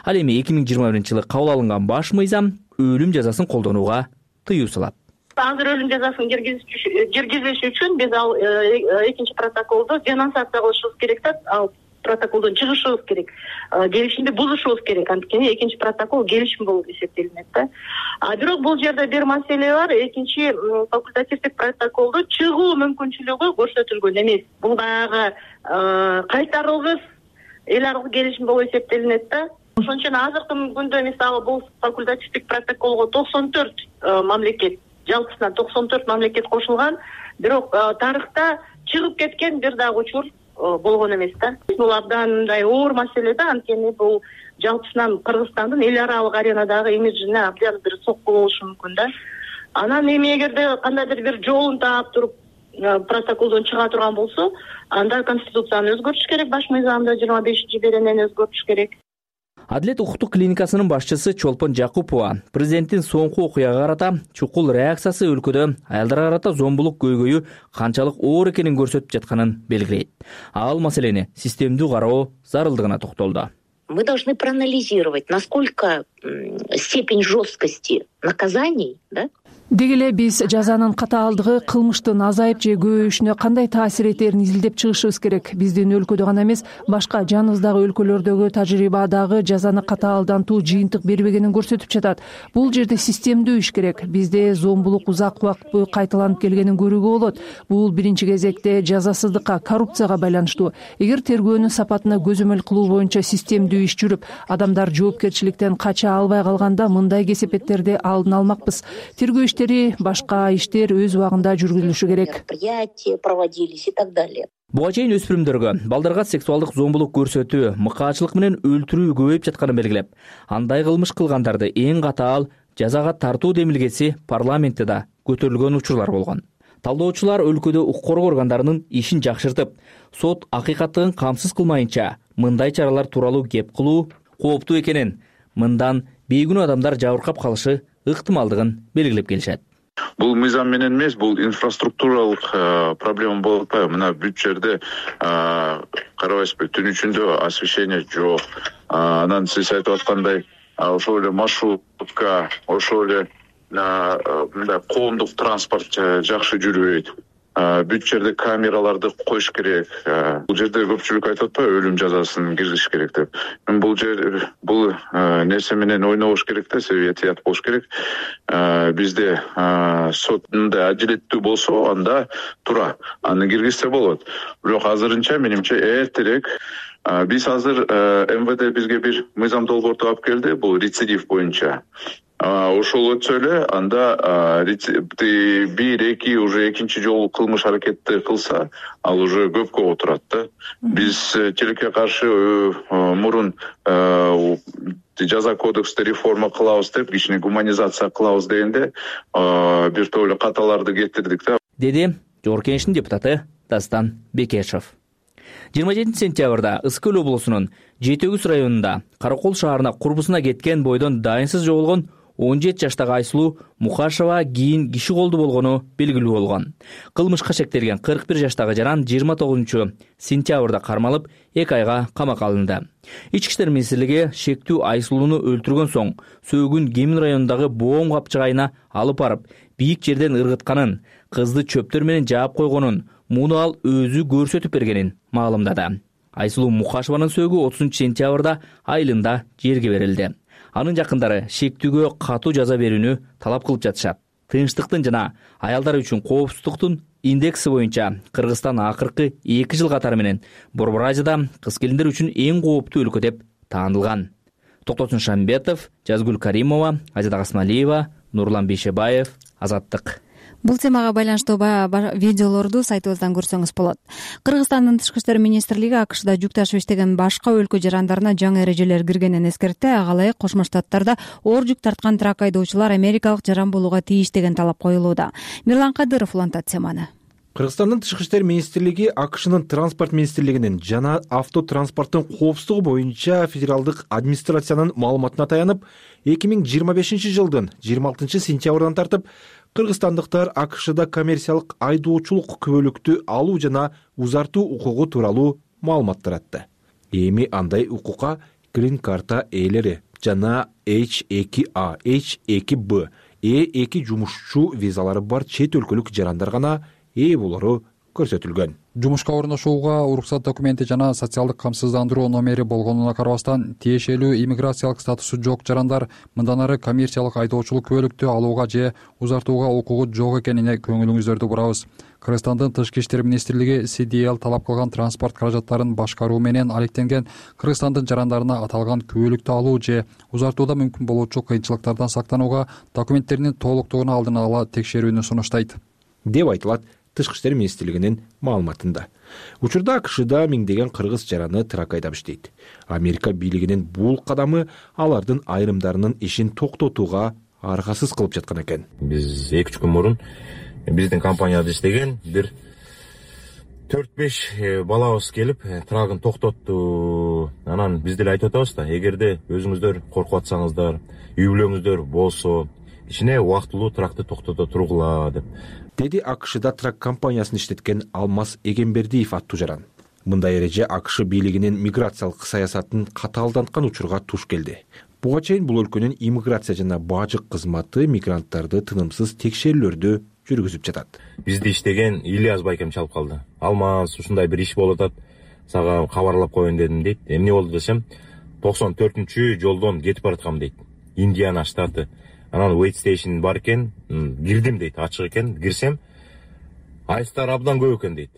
Ал эми эки миң жыйырма биринчи жылы кабыл алынган баш мыйзам өлүм жазасын колдонууга тыюу салат. Азыр өлүм жазасын киргизиш үчүн биз ал экинчи протоколду денонсация кылышыбыз керек да, ал протоколдон чыгышыбыз керек. Келишимди бузушубуз керек. Анткени экинчи протокол келишим болуп эсептелинет да. А бирок бул жерде бир маселе бар. Экинчи факультативдик протоколду чыгуу мүмкүнчүлүгү көрсөтүлгөн эмес. Бул дагы кайтарылгыс эл аралык келишим болуп эсептелинет да. Ошон үчүн азыркы күндө мисалы бул факультативдик протоколго токсон төрт мамлекет, жалпысынан токсон төрт мамлекет кошулган, бирок тарыхта чыгып кеткен бир дагы учур болгон эмес да. Бул абдан мындай оор маселе да, анткени бул жалпысынан Кыргызстандын эл аралык аренадагы имиджине абдан бир сокку болушу мүмкүн да. Анан эми эгерде кандайдыр бир жолун таап туруп протоколдон чыга турган болсо, анда конституцияны өзгөртүш керек, баш мыйзамды жыйырма бешинчи беренени өзгөртүш керек. Адилет укуктук клиникасынын башчысы Чолпон Жакупова президенттин соңку окуяга карата чукул реакциясы өлкөдө аялдарга карата зомбулук көйгөйү канчалык оор экенин көрсөтүп жатканын белгилейт. Ал маселени системдүү кароо зарылдыгына токтолду. Мы должны проанализировать, насколько степень жесткости наказаний, да, Деги эле биз жазанын катаалдыгы кылмыштын азайып же көбөйүшүнө кандай таасир этерин изилдеп чыгышыбыз керек. Биздин өлкөдө гана эмес, башка жаныбыздагы өлкөлөрдөгү тажрыйба дагы жазаны катаалдантуу жыйынтык бербегенин көрсөтүп жатат. Бул жерде системдүү иш керек. Бизде зомбулук узак убакыт бою кайталанып келгенин көрүүгө болот. Бул биринчи кезекте жазасыздыкка, коррупцияга байланыштуу. Эгер тергөөнүн сапатына көзөмөл кылуу боюнча системдүү иш жүрүп, адамдар жоопкерчиликтен кача албай калганда мындай кесепеттерди алдын алмакпыз. Тергөө иштери, башка иштер өз убагында жүргүзүлүшү керек. проводились и так далее. Буга чейин өспүрүмдөргө, балдарга сексуалдык зомбулук көрсөтүү, мыкаачылык менен өлтүрүү көбөйүп жатканын белгилеп, андай кылмыш кылгандарды эң катаал жазага тартуу демилгеси парламентте да көтөрүлгөн учурлар болгон. Талдоочулар өлкөдө укук коргоо органдарынын ишин жакшыртып, сот акыйкаттыгын камсыз кылмайынча мындай чаралар тууралуу кеп кылуу кооптуу экенин, мындан бейгүнөө адамдар жабыркап калышы ыктымалдыгын белгилеп келишет. Бул мыйзам менен эмес, бул инфраструктуралык проблема болуп атпайбы? Мына бүт жерде карабайсызбы, түн ичинде освещение жок. Анан сиз айтып аткандай, ошол эле маршрутка, ошол эле мындай коомдук транспорт жакшы жүрбөйт. Бүт жерде камераларды коюш керек. Бул жерде көпчүлүк айтып атпайбы, өлүм жазасын киргизиш керек деп. Бул жер бул нерсе менен ойнобош керек да, себеби этият болуш керек. Бизде сот мындай адилеттүү болсо, анда туура аны киргизсе болот. Бирок азырынча менимче эртерээк. Биз азыр эм вэ дэ бизге бир мыйзам долбоорту алып келди, бул рецидив боюнча. Ошол өтсө эле, анда бир, эки, уже экинчи жолу кылмыш аракетти кылса, ал уже көпкө отурат да. Биз тилекке каршы мурун жаза кодексти реформа кылабыз деп, кичине гуманизация кылабыз дегенде, бир топ эле каталарды кетирдик да. Деди Жогорку Кеңештин депутаты Дастан Бекешев. жыйырма жетинчи сентябрда Ысык Көл облусунун Жети Өгүз районунда Каракол шаарына курбусуна кеткен бойдон дайынсыз жоголгон он жети жаштагы Айсулуу Мукашева кийин киши колду болгону белгилүү болгон. Кылмышка шектелген кырк бир жаштагы жаран жыйырма тогузунчу сентябрда кармалып, эки айга камакка алынды. Ички иштер министрлиги шектүү Айсулууну өлтүргөн соң сөөгүн Кемин районундагы боом капчыгайына алып барып, бийик жерден ыргытканын, кызды чөптөр менен жаап койгонун, муну ал өзү көрсөтүп бергенин маалымдады. Айсулуу Мукашеванын сөөгү отузунчу сентябрда айылында жерге берилди. Анын жакындары шектүүгө катуу жаза берүүнү талап кылып жатышат. Тынчтыктын жана аялдар үчүн коопсуздуктун индекси боюнча Кыргызстан акыркы эки жыл катары менен Борбор Азияда кыз келиндер үчүн эң кооптуу өлкө деп таанылган. Токтосун Шамбетов, Жазгүл Каримова, Азида Касмалиева, Нурлан Бейшебаев, Азаттык. Бул темага байланыштуу видеолорду сайтыбыздан көрсөңүз болот. Кыргызстандын тышкы иштер министрлиги АКШда жүк ташып иштеген башка өлкө жарандарына жаңы эрежелер киргенин эскертти. Ага ылайык Кошмо Штаттарда оор жүк тарткан трак айдоочулар америкалык жаран болууга тийиш деген талап коюлууда. Мирлан Кадыров улантат теманы. Кыргызстандын тышкы иштер министрлиги АКШнын транспорт министрлигинин жана автотранспорттун коопсуздугу боюнча федералдык администрациянын маалыматына таянып, эки миң жыйырма бешинчи жылдын жыйырма алтынчы сентябрдан тартып кыргызстандыктар АКШда коммерциялык айдоочулук күбөлүктү алуу жана узартуу укугу тууралуу маалымат таратты. Эми андай укукка грин карта ээлери жана эйч эки А, эйч эки Б, Э эки жумушчу визалары бар чет өлкөлүк жарандар гана ээ болору көрсөтүлгөн. Жумушка орношууга уруксат документи жана социалдык камсыздандыруу номери болгонуна карабастан, тиешелүү иммиграциялык статусу жок жарандар мындан ары коммерциялык айдоочулук күбөлүктү алууга же узартууга укугу жок экенине көңүлүңүздөрдү бурабыз. Кыргызстандын тышкы иштер министрлиги Си Ди Эл талап кылган транспорт каражаттарын башкаруу менен алектенген Кыргызстандын жарандарына аталган күбөлүктү алуу же узартууда мүмкүн болуучу кыйынчылыктардан сактанууга документтеринин толуктугун алдын ала текшерүүнү сунуштайт, деп айтылат Тышкы иштер министрлигинин маалыматында. Учурда АКШда миңдеген кыргыз жараны трак айдап иштейт. Америка бийлигинин бул кадамы алардын айрымдарынын ишин токтотууга аргасыз кылып жаткан экен. Биз эки үч күн мурун биздин компанияда иштеген бир төрт беш балабыз келип трагын токтотту. Анан биз деле айтып атабыз да, эгерде өзүңүздөр коркуп атсаңыздар, үй бүлөңүздөр болсо, ичине убактылуу тракты токтото тургула деп. Деди АКШда трак компаниясын иштеткен Алмаз Эгембердиев аттуу жаран. Мындай эреже АКШ бийлигинин миграциялык саясатын катаалданткан учурга туш келди. Буга чейин бул өлкөнүн иммиграция жана бажык кызматы мигранттарды тынымсыз текшерүүлөрдү жүргүзүп жатат. Бизди иштеген Ильяс байкем чалып калды. Алмаз, ушундай бир иш болуп атат, сага кабарлап коеюн дедим дейт. Эмне болду десем, токсон төртүнчү жолдон кетип бараткам дейт. Индиана штаты. Анан wait station бар экен, кирдим дейт, ачык экен, кирсем, айыстар абдан көп экен дейт.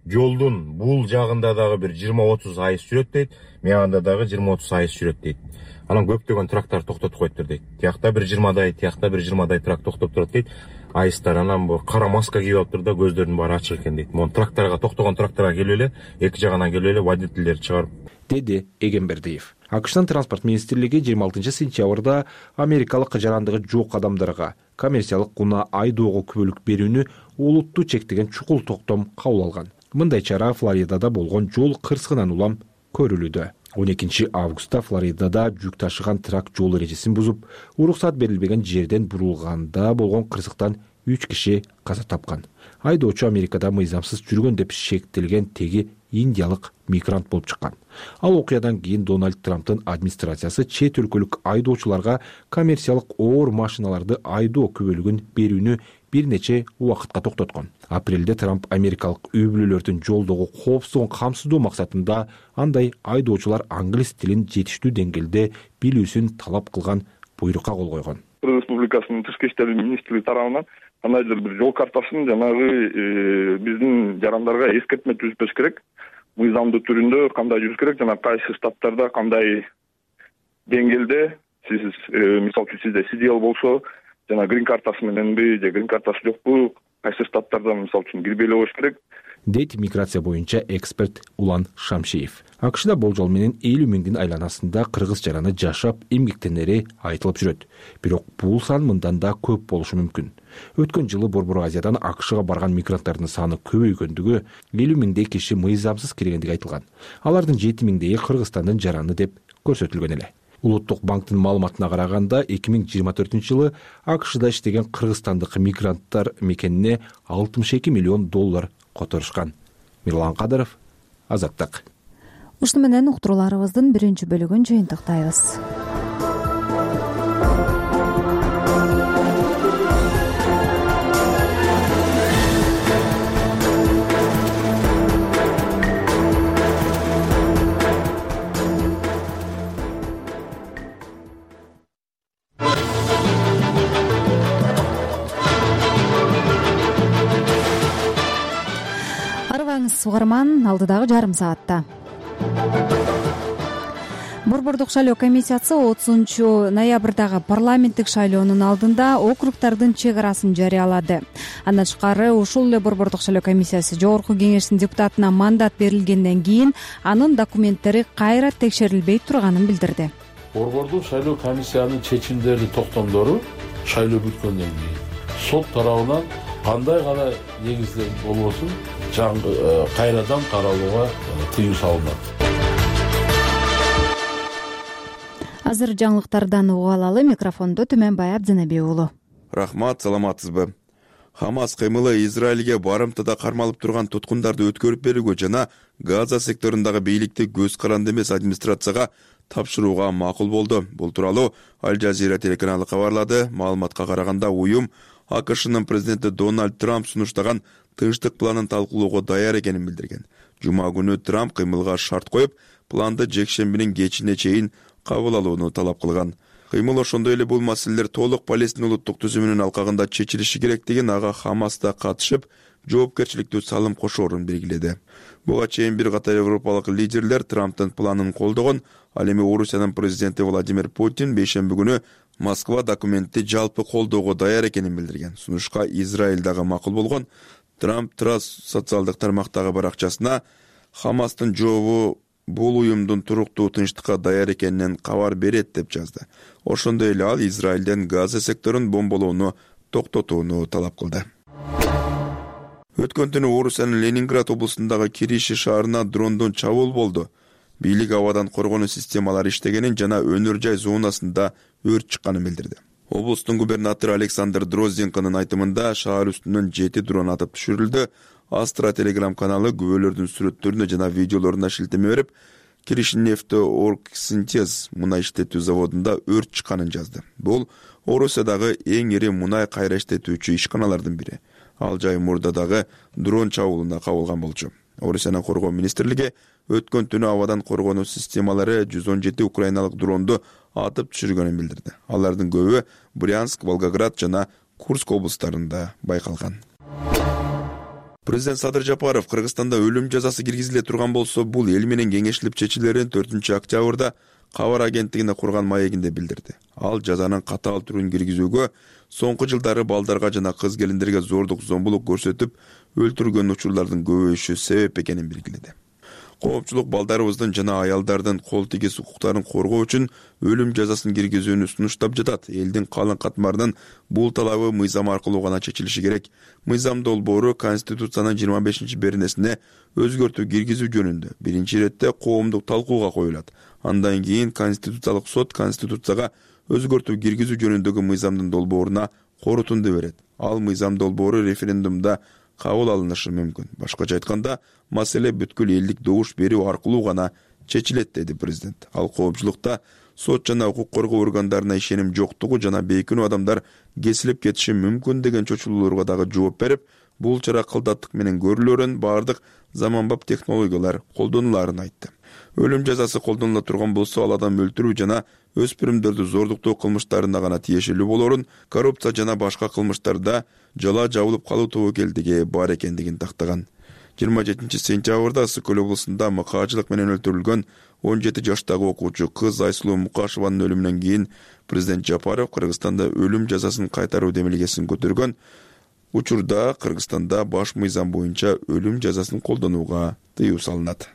Жолдун бул жагында дагы бир жыйырма отуз айыс жүрөт дейт, мяганда дагы жыйырма отуз айыс жүрөт дейт. Анан көптөгөн трактар токтотуп коюптур дейт. Тиякта бир жыйырмадай, тиякта бир жыйырмадай трак токтоп турат дейт. Айыстар анан бу кара маска кийип алыптыр да, көздөрүнүн баары ачык экен дейт. Могу тракторго токтогон тракторго келип эле, эки жагынан келип эле водительдер чыгарып, деди Эгембердиев. АКШтын транспорт министрлиги жыйырма алтынчы сентябрда америкалык жарандыгы жок адамдарга коммерциялык гуна айдоого күбөлүк берүүнү олуттуу чектеген чукул токтом кабыл алган. Мындай чара Флоридада болгон жол кырсыгынан улам көрүлүүдө. он экинчи августта Флоридада жүк ташыган трак жол эрежесин бузуп, уруксат берилбеген жерден бурулганда болгон кырсыктан үч киши каза тапкан. Айдоочу Америкада мыйзамсыз жүргөн деп шектелген теги индиялык мигрант болуп чыккан. Ал окуядан кийин Дональд Трамптын администрациясы чет өлкөлүк айдоочуларга коммерциялык оор машиналарды айдоо күбөлүгүн берүүнү бир нече убакытка токтоткон. Апрелде Трамп америкалык үй бүлөлөрдүн жолдогу коопсуздугун камсыздоо максатында андай айдоочулар англис тилин жетиштүү деңгээлде билүүсүн талап кылган буйрукка кол койгон. Кыргыз Республикасынын тышкы иштер министрлиги тарабынан кандайдыр бир жол картасын жанагы биздин жарандарга эскертме түзүш керек. Мыйзамдуу түрүндө кандай жүрүш керек жана кайсы штаттарда кандай деңгээлде сиз мисалы үчүн сизде Си Ди Эл болсо жана грин картасы мененби же грин картасы жокпу, кайсы штаттарда мисалы үчүн кирбей эле коюш керек дейт миграция боюнча эксперт Улан Шамшиев. АКШда болжол менен элүү миңдин айланасында кыргыз жараны жашап эмгектенери айтылып жүрөт. Бирок бул сан мындан да көп болушу мүмкүн. Өткөн жылы Борбор Азиядан АКШга барган мигранттардын саны көбөйгөндүгү, элүү миңдей киши мыйзамсыз киргендиги айтылган. Алардын жети миңдейи Кыргызстандын жараны деп көрсөтүлгөн эле. Улуттук банктын маалыматына караганда эки миң жыйырма төртүнчү жылы АКШда иштеген кыргызстандык мигранттар мекенине алтымыш эки миллион доллар которушкан. Мирлан Кадыров, Азаттык. Ушуну менен уктурууларыбыздын биринчи бөлүгүн жыйынтыктайбыз. Арыбаңыз угарман, алдыдагы жарым саатта. Борбордук шайлоо комиссиясы отузунчу ноябрдагы парламенттик шайлоонун алдында округдардын чек арасын жарыялады. Андан тышкары ушул эле Борбордук шайлоо комиссиясы Жогорку кеңештин депутатына мандат берилгенден кийин анын документтери кайра текшерилбей турганын билдирди. Борбордук шайлоо комиссиянын чечимдери, токтомдору шайлоо бүткөндөн кийин сот тарабынан кандай гана негизде болбосун кайрадан каралууга тыюу салынат. Азыр жаңылыктардан угуп алалы. Микрофондо Түмөнбай Абдзенеби уулу. Рахмат, саламатсызбы? Хамас кыймылы Израилге барымтада кармалып турган туткундарды өткөрүп берүүгө жана Газа секторундагы бийликти көз каранды эмес администрацияга тапшырууга макул болду. Бул тууралуу Аль Жазира телеканалы кабарлады. Маалыматка караганда уюм АКШнын президенти Дональд Трамп сунуштаган тынчтык планын талкуулоого даяр экенин билдирген. Жума күнү Трамп кыймылга шарт коюп, планды жекшембинин кечине чейин кабыл алууну талап кылган. Кыймыл ошондой эле бул маселелер толук Палестина улуттук түзүмүнүн алкагында чечилиши керектигин, ага Хамас да катышып, жоопкерчиликтүү салым кошоорун белгиледи. Буга чейин бир катар европалык лидерлер Трамптын планын колдогон. Ал эми Орусиянын президенти Владимир Путин бейшемби күнү Москва документти жалпы колдоого даяр экенин билдирген. Сунушка Израиль дагы макул болгон. Трамп Трас социалдык тармактагы баракчасына Хамастын жообу бул уюмдун туруктуу тынчтыкка даяр экенинен кабар берет деп жазды. Ошондой эле ал Израилден Газа секторун бомболоону токтотууну талап кылды. Өткөн түнү Орусиянын Ленинград облусундагы Кириши шаарына дрондон чабуул болду. Бийлик абадан коргонуу системалары иштегенин жана өнөр жай зонасында өрт чыкканын билдирди. Облустун губернатору Александр Дрозденконун айтымында шаар үстүнөн жети дрон атып түшүрүлдү. Астра телеграм каналы күбөлөрдүн сүрөттөрүнө жана видеолоруна шилтеме берип, Киришнефтеоргсинтез мунай иштетүү заводунда өрт чыкканын жазды. Бул Орусиядагы эң ири мунай кайра иштетүүчү ишканалардын бири. Ал жай мурда дагы дрон чабуулуна кабылган болчу. Орусиянын коргоо министрлиги өткөн түнү абадан коргонуу системалары жүз он жети украиналык дронду атып түшүргөнүн билдирди. Алардын көбү Брянск, Волгоград жана Курск облустарында байкалган. Президент Садыр Жапаров Кыргызстанда өлүм жазасы киргизиле турган болсо, бул эл менен кеңешилип чечилерин төртүнчү октябрда кабар агенттигине курган маегинде билдирди. Ал жазанын катаал түрүн киргизүүгө, соңку жылдары балдарга жана кыз келиндерге зордук, зомбулук көрсөтүп өлтүргөн учурлардын көбөйүшү себеп экенин белгиледи. Коопчулук балдарыбыздын жана аялдардын кол тигиз укуктарын коргоо үчүн өлүм жазасын киргизүүнү сунуштап жатат. Элдин калың катмарынын бул талабы мыйзам аркылуу гана чечилиши керек. Мыйзам долбоору Конституциянын жыйырма бешинчи беренесине өзгөртүү киргизүү жөнүндө биринчи иретте коомдук талкууга коюлат. Андан кийин Конституциялык сот Конституцияга өзгөртүү киргизүү жөнүндөгү мыйзамдын долбооруна корутунду берет. Ал мыйзам долбоору референдумда кабыл алынышы мүмкүн. Башкача айтканда, маселе бүткүл элдик добуш берүү аркылуу гана чечилет, деди президент. Ал коопчулукта сот жана укук коргоо органдарына ишеним жоктугу жана бейкүнөө адамдар кесилип кетиши мүмкүн деген чочулууларга дагы жооп берип, бул чара кылдаттык менен көрүлөрүн, баардык заманбап технологиялар колдонуларын айтты. Өлүм жазасы колдонула турган болсо, ал адам өлтүрүү жана өспүрүмдөрдү зордуктоо кылмыштарына гана тиешелүү болорун, коррупция жана башка кылмыштарда жала жабылып калуу тобокелдиги бар экендигин тактаган. жыйырма жетинчи сентябрда Ысык көл облусунда мыкаачылык менен өлтүрүлгөн он жети жаштагы окуучу кыз Айсулуу Мукашеванын өлүмүнөн кийин президент Жапаров Кыргызстанда өлүм жазасын кайтаруу демилгесин көтөргөн. учурда Кыргызстанда баш мыйзам боюнча өлүм жазасын колдонууга тыюу салынат.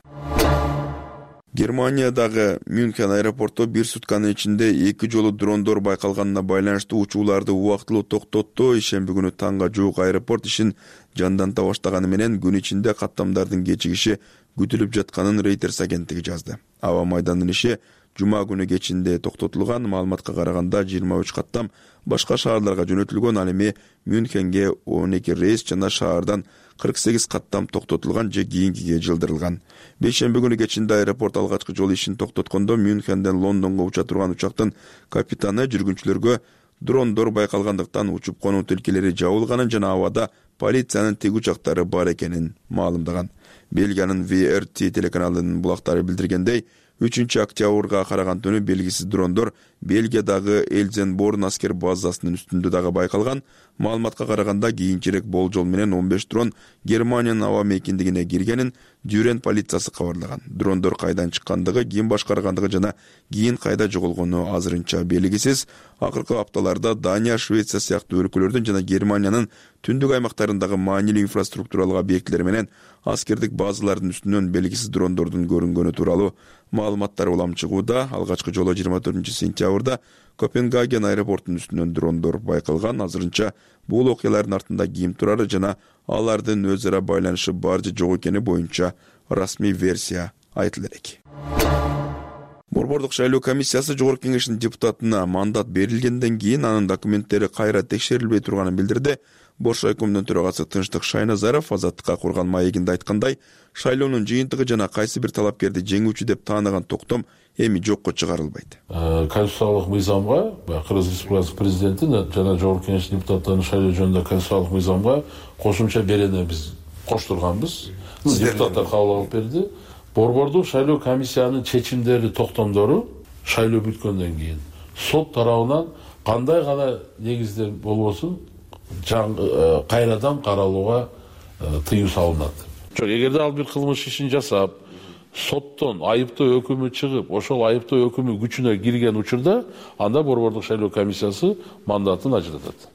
Германиядагы Мюнхен аэропорту бир сутканын ичинде эки жолу дрондор байкалганына байланыштуу учууларды убактылуу токтотту. Ишемби күнү таңга жуук аэропорт ишин жандanta баштаганы менен күн ичинде каттамдардын кечигиши күтүлүп жатканын Reuters агенттиги жазды. Аба майданынын иши жума күнү кечинде токтотулган. Маалыматка караганда жыйырма үч каттам башка шаарларга жөнөтүлгөн. Ал эми Мюнхенге он эки рейс жана шаардан кырк сегиз каттам токтотулган же кийинкиге жылдырылган. Бейшемби күнү кечинде аэропорт алгачкы жолу ишин токтоткондо Мюнхенден Лондонго уча турган учактын капитаны жүргүнчүлөргө дрондор байкалгандыктан учуп конуу тилкелери жабылганын жана абада полициянын тиг учактары бар экенин маалымдаган. Бельгиянын ви эр ти телеканалынын булактары билдиргендей, үчүнчү октябрга караган түнү белгисиз дрондор Бельгиядагы Эльзенборн аскер базасынын үстүндө дагы байкалган. Маалыматка караганда кийинчерээк болжол менен он беш дрон Германиянын аба мейкиндигине киргенин Дюрен полициясы кабарлаган. Дрондор кайдан чыккандыгы, ким башкаргандыгы жана кийин кайда жоголгону азырынча белгисиз. Акыркы апталарда Дания, Швеция сыяктуу өлкөлөрдүн жана Германиянын түндүк аймактарындагы маанилүү инфраструктуралык объектилер менен аскердик базалардын үстүнөн белгисиз дрондордун көрүнгөнү тууралуу маалыматтар улам чыгууда. Алгачкы жолу жыйырма төртүнчү сентябрда Копенгаген аэропортунун үстүнөн дрондор байкалган. Азырынча бул окуялардын артында ким турары жана алардын өз ара байланышы бар же жок экени боюнча расмий версия айтыла элек. Борбордук шайлоо комиссиясы Жогорку Кеңештин депутатына мандат берилгенден кийин анын документтери кайра текшерилбей турганын билдирди. Бош райкомдун төрагасы Тынчтык Шайназаров Азаттыкка курган маегинде айткандай, шайлоонун жыйынтыгы жана кайсы бир талапкерди жеңүүчү деп таанаган токтом эми жокко чыгарылбайт. Конституциялык мыйзамга, Кыргыз Республикасынын президенти жана Жогорку Кеңештин депутаттарынын шайлоо жөнүндө конституциялык мыйзамга кошумча берене биз коштурганбыз. Депутаттар кабыл алып берди. Борбордук шайлоо комиссиянын чечимдери, токтомдору шайлоо бүткөндөн кийин сот тарабынан кандай гана негизде болбосун кайрадан каралууга тыюу салынат. Жок, эгерде ал бир кылмыш ишин жасап, соттон айыптоо өкүмү чыгып, ошол айыптоо өкүмү күчүнө кирген учурда, анда борбордук шайлоо комиссиясы мандатын ажыратат.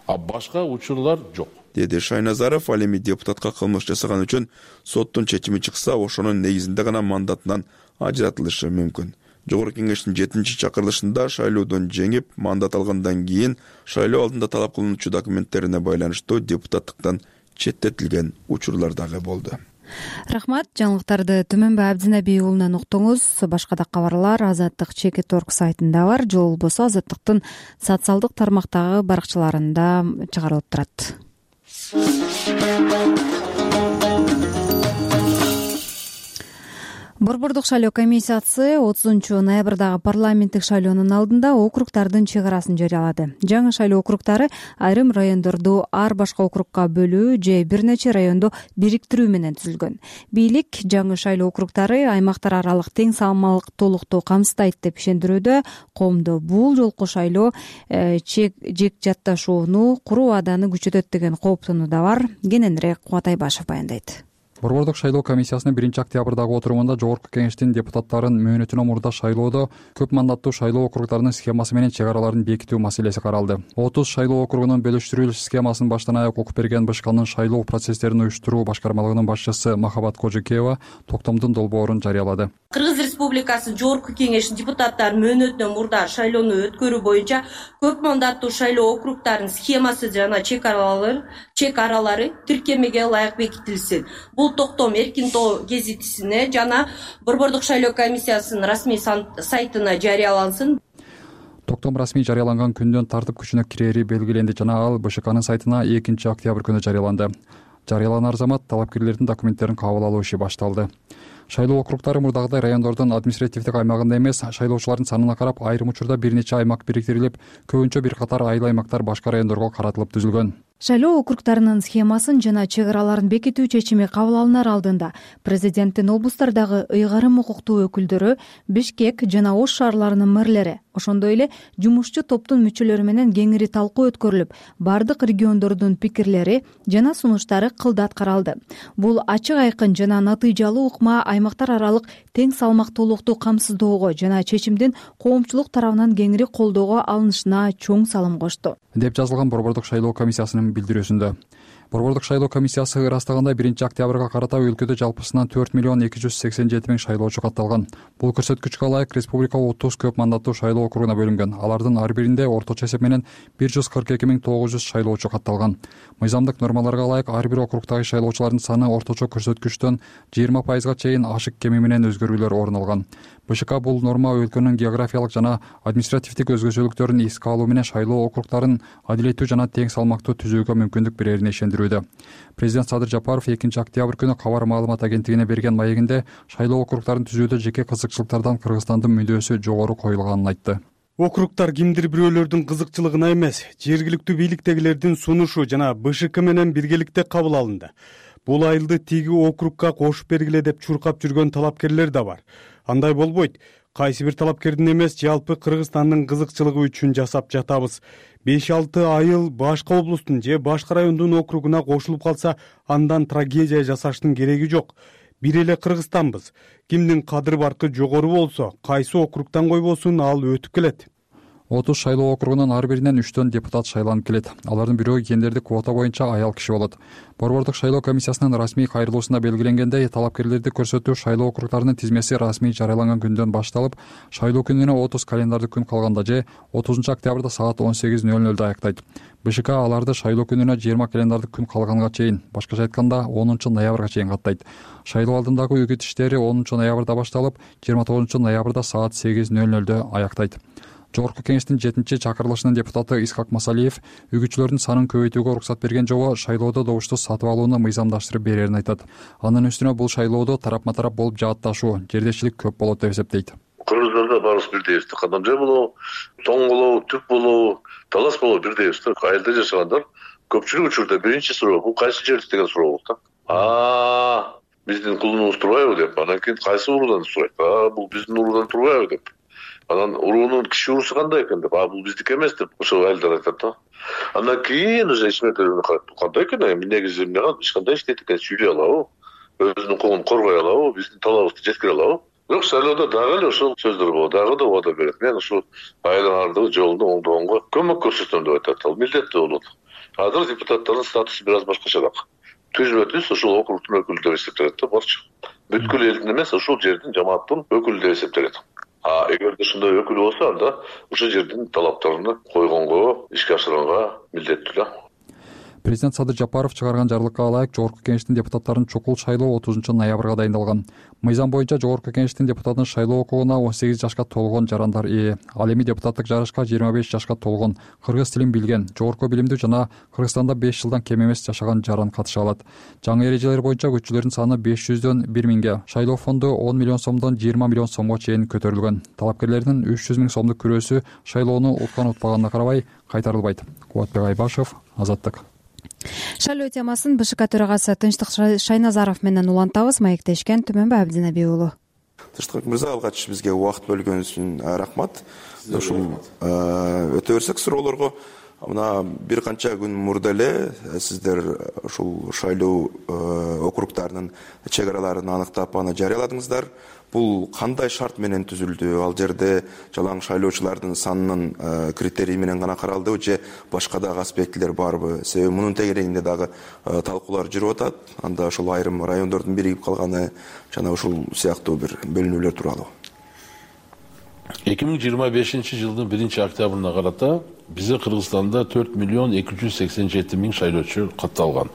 А башка учурлар жок, деди Шайназаров. Ал эми депутатка кылмыш жасаган үчүн соттун чечими чыкса, ошонун негизинде гана мандатынан ажыратылышы мүмкүн. Жогорку Кеңештин жетинчи чакырылышында шайлоодон жеңип, мандат алгандан кийин шайлоо алдында талап кылынуучу документтерине байланыштуу депутаттыктан четтетилген учурлар дагы болду. Рахмат. Жаңылыктарды Түмөнбай Абдинаби уулунан уктуңуз. Башка да кабарлар Азаттык чекит точка орг сайтында бар, же болбосо Азаттыктын социалдык тармактагы баракчаларында чыгарылып турат. Борбордук шайлоо комиссиясы отузунчу ноябрдагы парламенттик шайлоонун алдында округдардын чек арасын жарыялады. Жаңы шайлоо округдары айрым райондорду ар башка округга бөлүү же бир нече районду бириктирүү менен түзүлгөн. Бийлик жаңы шайлоо округдары аймактар аралык тең салмактуулукту камсыздайт деп ишендирүүдө. Коомдо бул жолку шайлоо чек жек жатташууну куруу абаданы күчөтөт деген кооптонуу да бар. Кененирээк Кубат Айбашев баяндайт. Борбордук шайлоо комиссиясынын биринчи октябрдагы отурумунда Жогорку Кеңештин депутаттарын мөөнөтүнөн мурда шайлоодо көп мандаттуу шайлоо округдарынын схемасы менен чек араларын бекитүү маселеси каралды. отуз шайлоо округунун бөлүштүрүлүш схемасын баштан аяк окуп берген БШКнын шайлоо процесстерин уюштуруу башкармалыгынын башчысы Махабат Кожекеева токтомдун долбоорун жарыялады. Кыргыз Республикасы Жогорку Кеңештин депутаттары мөөнөтүнөн мурда шайлоону өткөрүү боюнча көп мандаттуу шайлоо округдарынын схемасы жана чек аралары чек аралары тиркемеге ылайык бекитилсин. Бул токтом Эркин тоо гезитисине жана Борбордук шайлоо комиссиясынын расмий сайтына жарыялансын. Токтом расмий жарыяланган күндөн тартып күчүнө кирери белгиленди жана ал БШКнын сайтына экинчи октябрь күнү жарыяланды. Жарыяланар замат талапкерлердин документтерин кабыл алуу иши башталды. Шайлоо округдары мурдагыдай райондордун административдик аймагында эмес, шайлоочулардын санына карап айрым учурда бир нече аймак бириктирилип, көбүнчө бир катар айыл аймактар башка райондорго каратылып түзүлгөн. Шайлоо округдарынын схемасын жана чек араларын бекитүү чечими кабыл алынар алдында президенттин облустардагы ыйгарым укуктуу өкүлдөрү, Бишкек жана Ош шаарларынын мэрлери, ошондой эле жумушчу топтун мүчөлөрү менен кеңири талкуу өткөрүлүп, бардык региондордун пикирлери жана сунуштары кылдат каралды. Бул ачык айкын жана натыйжалуу ыкма аймактар аралык тең салмактуулукту камсыздоого жана чечимдин коомчулук тарабынан кеңири колдоого алынышына чоң салым кошту. деп жазылган Борбордук шайлоо комиссиясынын билдирүүсүндө. Борбордук шайлоо комиссиясы ырастагандай биринчи октябрга карата өлкөдө жалпысынан төрт миллион эки жүз сексен жети миң шайлоочу катталган. Бул көрсөткүчкө ылайык республика отуз көп мандаттуу шайлоо округуна бөлүнгөн. Алардын ар биринде орточо эсеп менен бир жүз кырк эки миң тогуз жүз шайлоочу катталган. Мыйзамдык нормаларга ылайык ар бир округдагы шайлоочулардын саны орточо көрсөткүчтөн жыйырма пайызга чейин ашык кеми менен өзгөрүүлөр орун алган. БШК бул норма өлкөнүн географиялык жана административдик өзгөчөлүктөрүн эске алуу менен шайлоо округдарын адилеттүү жана тең салмактуу түзүүгө мүмкүндүк берерине ишендирүүдө. Президент Садыр Жапаров экинчи октябрь күнү Кабар маалымат агенттигине берген маегинде шайлоо округдарын түзүүдө жеке кызыкчылыктардан Кыргызстандын мүндөсү жогору коюлганын айтты. Округтар кимдир бирөөлөрдүн кызыкчылыгына эмес, жергиликтүү бийликтегилердин сунушу жана БШК менен биргеликте кабыл алынды. Бул айылды тиги округга кошуп бергиле деп чуркап жүргөн талапкерлер да бар. Андай болбойт. Кайсы бир талапкердин эмес, жалпы Кыргызстандын кызыкчылыгы үчүн жасап жатабыз. беш алты айыл башка облустун же башка райондун округуна кошулуп калса, андан трагедия жасаштын кереги жок. Бир эле Кыргызстанбыз. Кимдин кадыр баркы жогору болсо, кайсы округтан койбосун, ал өтүп келет. отуз шайлоо округунун ар биринен үчтөн депутат шайланып келет. Алардын бирөө гендердик квота боюнча аял киши болот. Борбордук шайлоо комиссиясынын расмий кайрылуусунда белгиленгендей, талапкерлерди көрсөтүү шайлоо округдарынын тизмеси расмий жарыяланган күндөн башталып, шайлоо күнүнө отуз календардык күн калганда же отузунчу октябрда саат он сегиз ноль нөлдө аяктайт. БШК аларды шайлоо күнүнө жыйырма календардык күн калганга чейин, башкача айтканда онунчу ноябрга чейин каттайт. Шайлоо алдындагы үгүт иштери онунчу ноябрда башталып, жыйырма тогузунчу ноябрда саат сегиз ноль нөлдө аяктайт. Жогорку кеңештин жетинчи чакырылышынын депутаты Исхак Масалиев үгүтчүлөрдүн санын көбөйтүүгө уруксат берген жолу шайлоодо добушту сатып алууну мыйзамдаштырып берерин айтат. Анын үстүнө бул шайлоодо тарапма тарап болуп жаатташуу, жердешчилик көп болот деп эсептейт. Кыргыздарда баарыбыз бирдейбиз. Кадамжай болобу, тоң болобу, түп болобу, талас болобу бирдейбиз. Айылда жашагандар көпчүлүк учурда биринчи суроо бул кайсы жер деген суроо болот да. А, биздин кулунубуз турбайбы деп, анан кийин кайсы уруудан сурайт. А, бул биздин уруудан турбайбы деп. Анан уруунун киши уруусу кандай экен деп, а бул биздики эмес деп ошол айылдар айтат да. Андан кийин уже ишмердиктер карайт. Кандай экен, эми негизи эмне эч кандай иштейт экен, сүйлөй алабы, өзүнүн коомун коргой алабы, биздин талабыбызды жеткире алабы. Бирок шайлоодо дагы эле ошол сөздөр болот, дагы да убада берет. Мен ушул айылдын ардыгы жолунду оңдогонго көмөк көрсөтөм деп айтат. Ал милдеттүү болот. Азыр депутаттардын статусу бир аз башкачараак. Түз бе түз ошол округдун өкүлү деп эсептелет да, барчы. Бүткүл элдин эмес, ошол жердин жамааттын өкүлү деп эсептелет. А эгерде ушундай өкүл болсо, анда ошол жердин талаптарын койгонго, ишке ашырганга милдеттүү да. Президент Садыр Жапаров чыгарган жарлыкка ылайык Жогорку кеңештин депутаттарын чукул шайлоо отузунчу ноябрга дайындалган. Мыйзам боюнча Жогорку кеңештин депутатын шайлоо укугуна он сегиз жашка толгон жарандар ээ. Ал эми депутаттык жарышка жыйырма беш жашка толгон, кыргыз тилин билген, жогорку билимдүү жана Кыргызстанда беш жылдан кем эмес жашаган жаран катыша алат. Жаңы эрежелер боюнча күччүлөрдүн саны беш жүздөн бир миңге, шайлоо фонду он миллион сомдон жыйырма миллион сомго чейин көтөрүлгөн. Талапкерлердин үч жүз миң сомдук күрөөсү шайлоону уткан утпаганына карабай кайтарылбайт. Кубатбек Айбашев, Азаттык. Шайлоо темасын БШК төрагасы Тынчтык Шайназаров менен улантабыз. Маектешкен Түмөнбай Абдинаби уулу. Тынчтык мырза, алгач бизге убакыт бөлгөнүңүз үчүн рахмат. Ушул өтө берсек суроолорго, мына бир канча күн мурда эле сиздер ушул шайлоо округдарынын чек араларын аныктап аны жарыяладыңыздар. Бул кандай шарт менен түзүлдү? Ал жерде жалаң шайлоочулардын санынын критерий менен гана каралдыбы же башка дагы аспектилер барбы? Себеби мунун тегерегинде дагы талкуулар жүрүп атат. Анда ошол айрым райондордун биригип калганы жана ушул сыяктуу бир бөлүнүүлөр тууралуу. эки миң жыйырма бешинчи жылдын биринчи октябрына карата бизде Кыргызстанда төрт миллион эки жүз сексен жети миң шайлоочу катталган.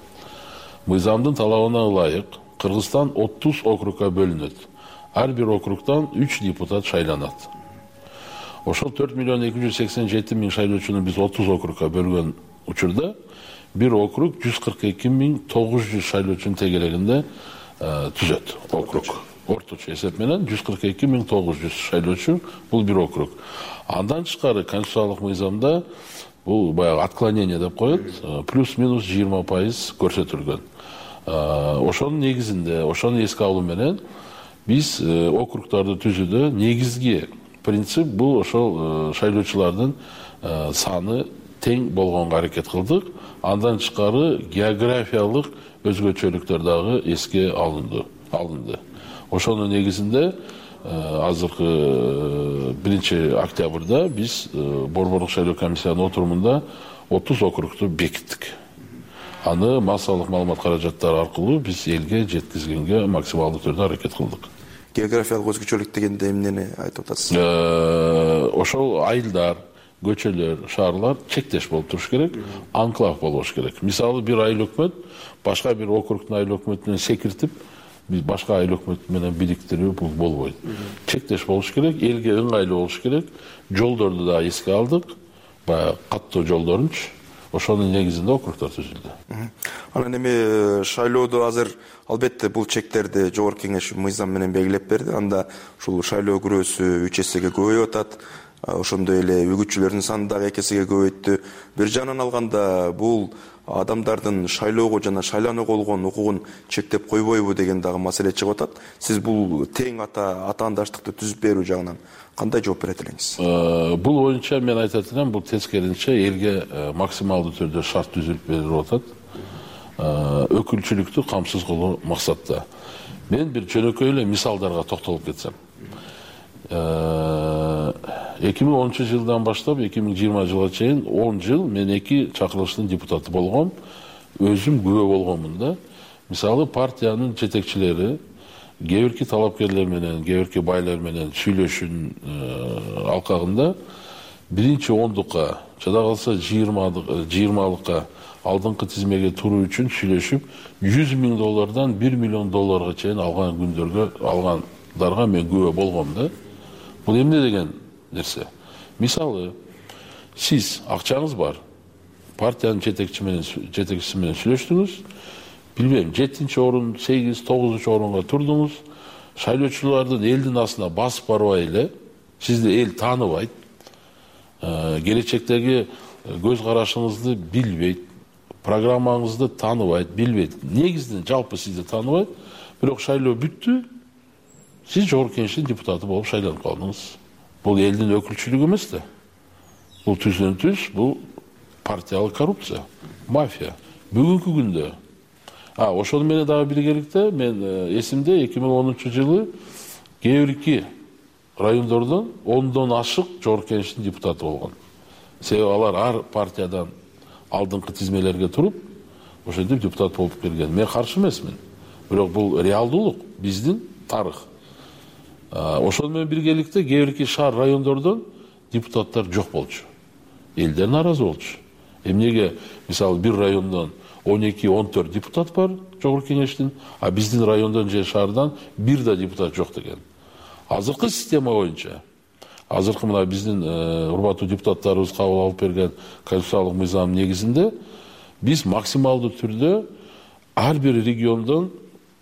Мыйзамдын талабына ылайык Кыргызстан отуз округга бөлүнөт. Ар бир округдан үч депутат шайланат. Ошол төрт миллион эки жүз сексен жети миң шайлоочуну биз отуз округга бөлгөн учурда бир округ жүз кырк эки миң тогуз жүз шайлоочунун тегерегинде түзөт. Округ орточо эсеп менен жүз кырк эки миң тогуз жүз шайлоочу бул бир округ. Андан тышкары конституциялык мыйзамда бул баягы отклонение деп коет, плюс-минус жыйырма пайыз көрсөтүлгөн. Ошонун негизинде, ошону эске алуу менен биз округдарды түзүүдө негизги принцип бул ошол шайлоочулардын саны тең болгонго аракет кылдык. Андан тышкары географиялык өзгөчөлүктөр дагы эске алынды. Алынды. Ошонун негизинде азыркы биринчи октябрда биз Борбордук шайлоо комиссиянын отурумунда отуз округду бекиттик. Аны массалык маалымат каражаттары аркылуу биз элге жеткизгенге максималдуу түрдө аракет кылдык. Географиялык өзгөчөлүк дегенде эмнени айтып атасыз? Ошол айылдар, көчөлөр, шаарлар чектеш болуп туруш керек, анклав болбош керек. Мисалы, бир айыл өкмөт башка бир округдун айыл өкмөтүнөн секиртип, биз башка айыл өкмөт менен бириктирүү бул болбойт. Чектеш болуш керек, элге ыңгайлуу болуш керек. Жолдорду да эске алдык, баягы каттоо жолдорунчу. Ошонун негизинде округдар түзүлдү. Анан эми шайлоодо азыр албетте бул чектерди жогорку кеңеш мыйзам менен белгилеп берди. Анда ушул шайлоо күрөөсү үч эсеге көбөйүп атат. Ошондой эле үгүтчүлөрдүн саны дагы эки эсеге көбөйттү. Бир жагынан алганда бул адамдардын шайлоого жана шайланууга болгон укугун чектеп койбойбу деген дагы маселе чыгып атат. Сиз бул тең ата атаандаштыкты түзүп берүү жагынан кандай жооп берет элеңиз? Бул боюнча мен айтат элем, бул тескерисинче элге максималдуу түрдө шарт түзүлүп берилип атат. Өкүлчүлүктү камсыз кылуу максатта. Мен бир жөнөкөй эле мисалдарга токтолуп кетсем. эки миң онунчу жылдан баштап эки миң жыйырма жылга чейин он жыл мен эки чакырылыштын депутаты болгом, өзүм күбө болгонмун да. Мисалы, партиянын жетекчилери кээ бирки талапкерлер менен, кээ бирки байлар менен сүйлөшүүнүн алкагында биринчи ондукка, жада калса жыйырмалыкка алдыңкы тизмеге туруу үчүн сүйлөшүп, жүз миң доллардан бир миллион долларга чейин алган күндөргө алгандарга мен күбө болгом да. Бул эмне деген нерсе? Мисалы, сиз акчаңыз бар, партиянын жетекчиси менен жетекчиси менен сүйлөштүңүз, билбейм, жетинчи орун, сегиз, тогузунчу орунга турдуңуз, шайлоочулардын элдин астына басып барбай эле, сизди эл тааныбайт, келечектеги көз карашыңызды билбейт, программаңызды тааныбайт, билбейт, негизден жалпы сизди тааныбайт, бирок шайлоо бүттү, сиз жогорку кеңештин депутаты болуп шайланып калдыңыз. Бул элдин өкүлчүлүгү эмес да. Бул түздөн түз, бул партиялык коррупция, мафия. Бүгүнкү күндө, а ошону менен дагы биргеликте мен эсимде эки миң онунчу жылы кээ бирки райондордон ондон ашык жогорку кеңештин депутаты болгон. Себеби алар ар партиядан алдыңкы тизмелерге туруп, ошентип депутат болуп келген. Мен каршы эмесмин. Бирок бул реалдуулук, биздин тарых. Ошону менен биргеликте кээ бирки шаар райондордон депутаттар жок болчу. Элдер нааразы болчу. Эмнеге, мисалы, бир райондон он эки он төрт депутат бар жогорку кеңештин, а биздин райондон же шаардан бир да депутат жок деген. Азыркы система боюнча, азыркы мына биздин урматтуу депутаттарыбыз кабыл алып берген конституциялык мыйзам негизинде биз максималдуу түрдө ар бир региондон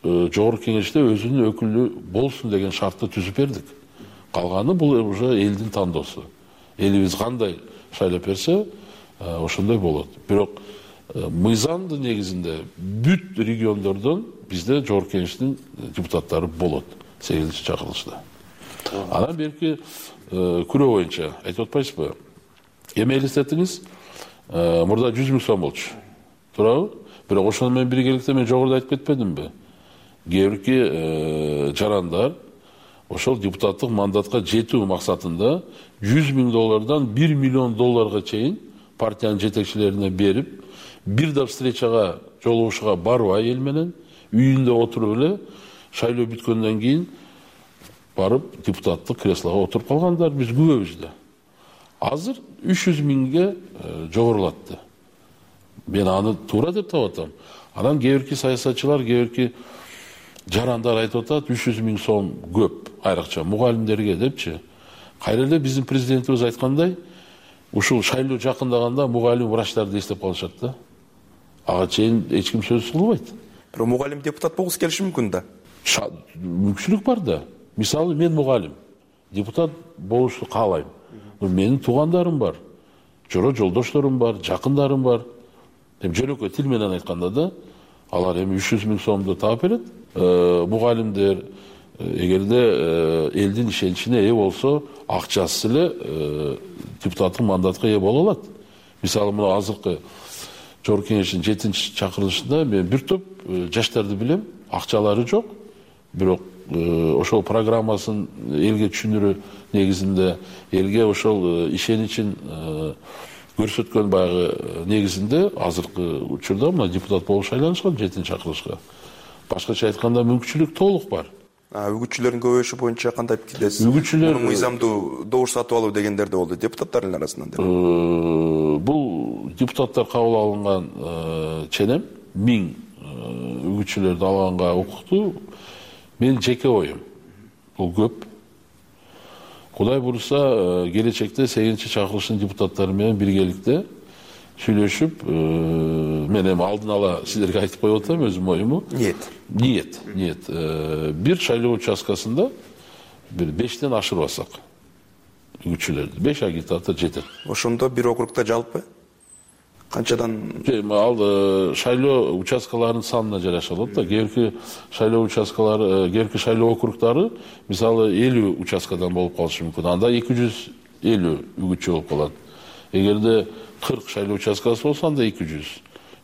жогорку кеңеште өзүнүн өкүлү болсун деген шартты түзүп бердик. Калганы бул уже элдин тандоосу. Элибиз кандай шайлап берсе, ошондой болот. Бирок мыйзамдын негизинде бүт региондордон бизде жогорку кеңештин депутаттары болот сегизинчи чакырылышта. Анан берки күрөө боюнча айтып атпайсызбы? Эми элестетиңиз, мурда жүз миң сом болчу. Туурабы? Бирок ошону менен биргеликте мен жогоруда айтып кетпедимби? Кээ бирки жарандар ошол депутаттык мандатка жетүү максатында жүз миң доллардан бир миллион долларга чейин партиянын жетекчилерине берип, бир да встречага, жолугушууга барбай эл менен, үйүндө отуруп эле шайлоо бүткөндөн кийин барып депутаттык креслого отуруп калгандар биз күбөбүз да. Азыр үч жүз миңге жогорулатты. Мен аны туура деп таап атам. Анан кээ бирки саясатчылар, кээ бирки жарандар айтып атат, үч жүз миң сом көп, айрыкча мугалимдерге депчи. Кайра эле биздин президентибиз айткандай, ушул шайлоо жакындаганда мугалим врачтарды эстеп калышат да. Ага чейин эч ким сөз кылбайт. Бирок мугалим депутат болгусу келиши мүмкүн да. Мүмкүнчүлүк бар да. Мисалы, мен мугалим, депутат болушту каалайм. Менин туугандарым бар, жора жолдошторум бар, жакындарым бар. Эми жөнөкөй тил менен айтканда да, алар эми үч жүз миң сомду таап берет. Мугалимдер эгерде элдин ишеничине ээ болсо, акчасыз эле депутаттык мандатка ээ боло алат. Мисалы, мына азыркы жогорку кеңештин жетинчи чакырылышында мен бир топ жаштарды билем, акчалары жок, бирок ошол программасын элге түшүндүрүү негизинде элге ошол ишеничин көрсөткөн баягы негизинде азыркы учурда мына депутат болуп шайланышкан жетинчи чакырылышка. Башкача айтканда мүмкүнчүлүк толук бар. Үгүтчүлөрдүн көбөйүшү боюнча кандай пикирдесиз? Үгүтчүлөр мыйзамдуу добуш сатып алуу дегендер да болду депутаттардын арасынан. Бул депутаттар кабыл алынган ченем миң үгүтчүлөрдү алганга укуктуу. Менин жеке оюм. Бул көп. Кудай буюрса, келечекте сегизинчи чакырылыштын депутаттары менен биргеликте сүйлөшүп, мен эми алдын ала силерге айтып коюп атам өзүм оюму. Ниет. Ниет, ниет. Бир шайлоо участкасында бир бештен ашырбасак үгүтчүлөрдү, беш агитатор жетет. Ошондо бир округда жалпы канчадан? Ал шайлоо участкаларынын санына жараша болот да. Кээ бирки шайлоо участкалары, кээ бирки шайлоо округдары мисалы элүү участкадан болуп калышы мүмкүн. Анда эки жүз элүү үгүтчү болуп калат. Эгерде кырк шайлоо участкасы болсо анда эки жүз.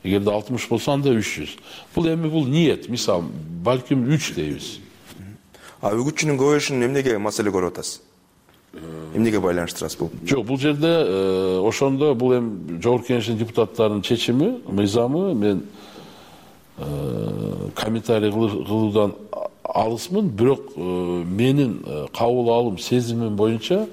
Эгерде алтымыш болсо анда үч жүз. Бул эми бул ниет. Мисалы, балким үч дейбиз. А үгүтчүнүн көбөйүшүн эмнеге маселе көрүп атасыз? Эмнеге байланыштырасыз бул? Жок, бул жерде ошондо бул эми жогорку кеңештин депутаттарынын чечими, мыйзамы, мен комментарий кылуудан алысмын, бирок менин кабыл алым, сезимим боюнча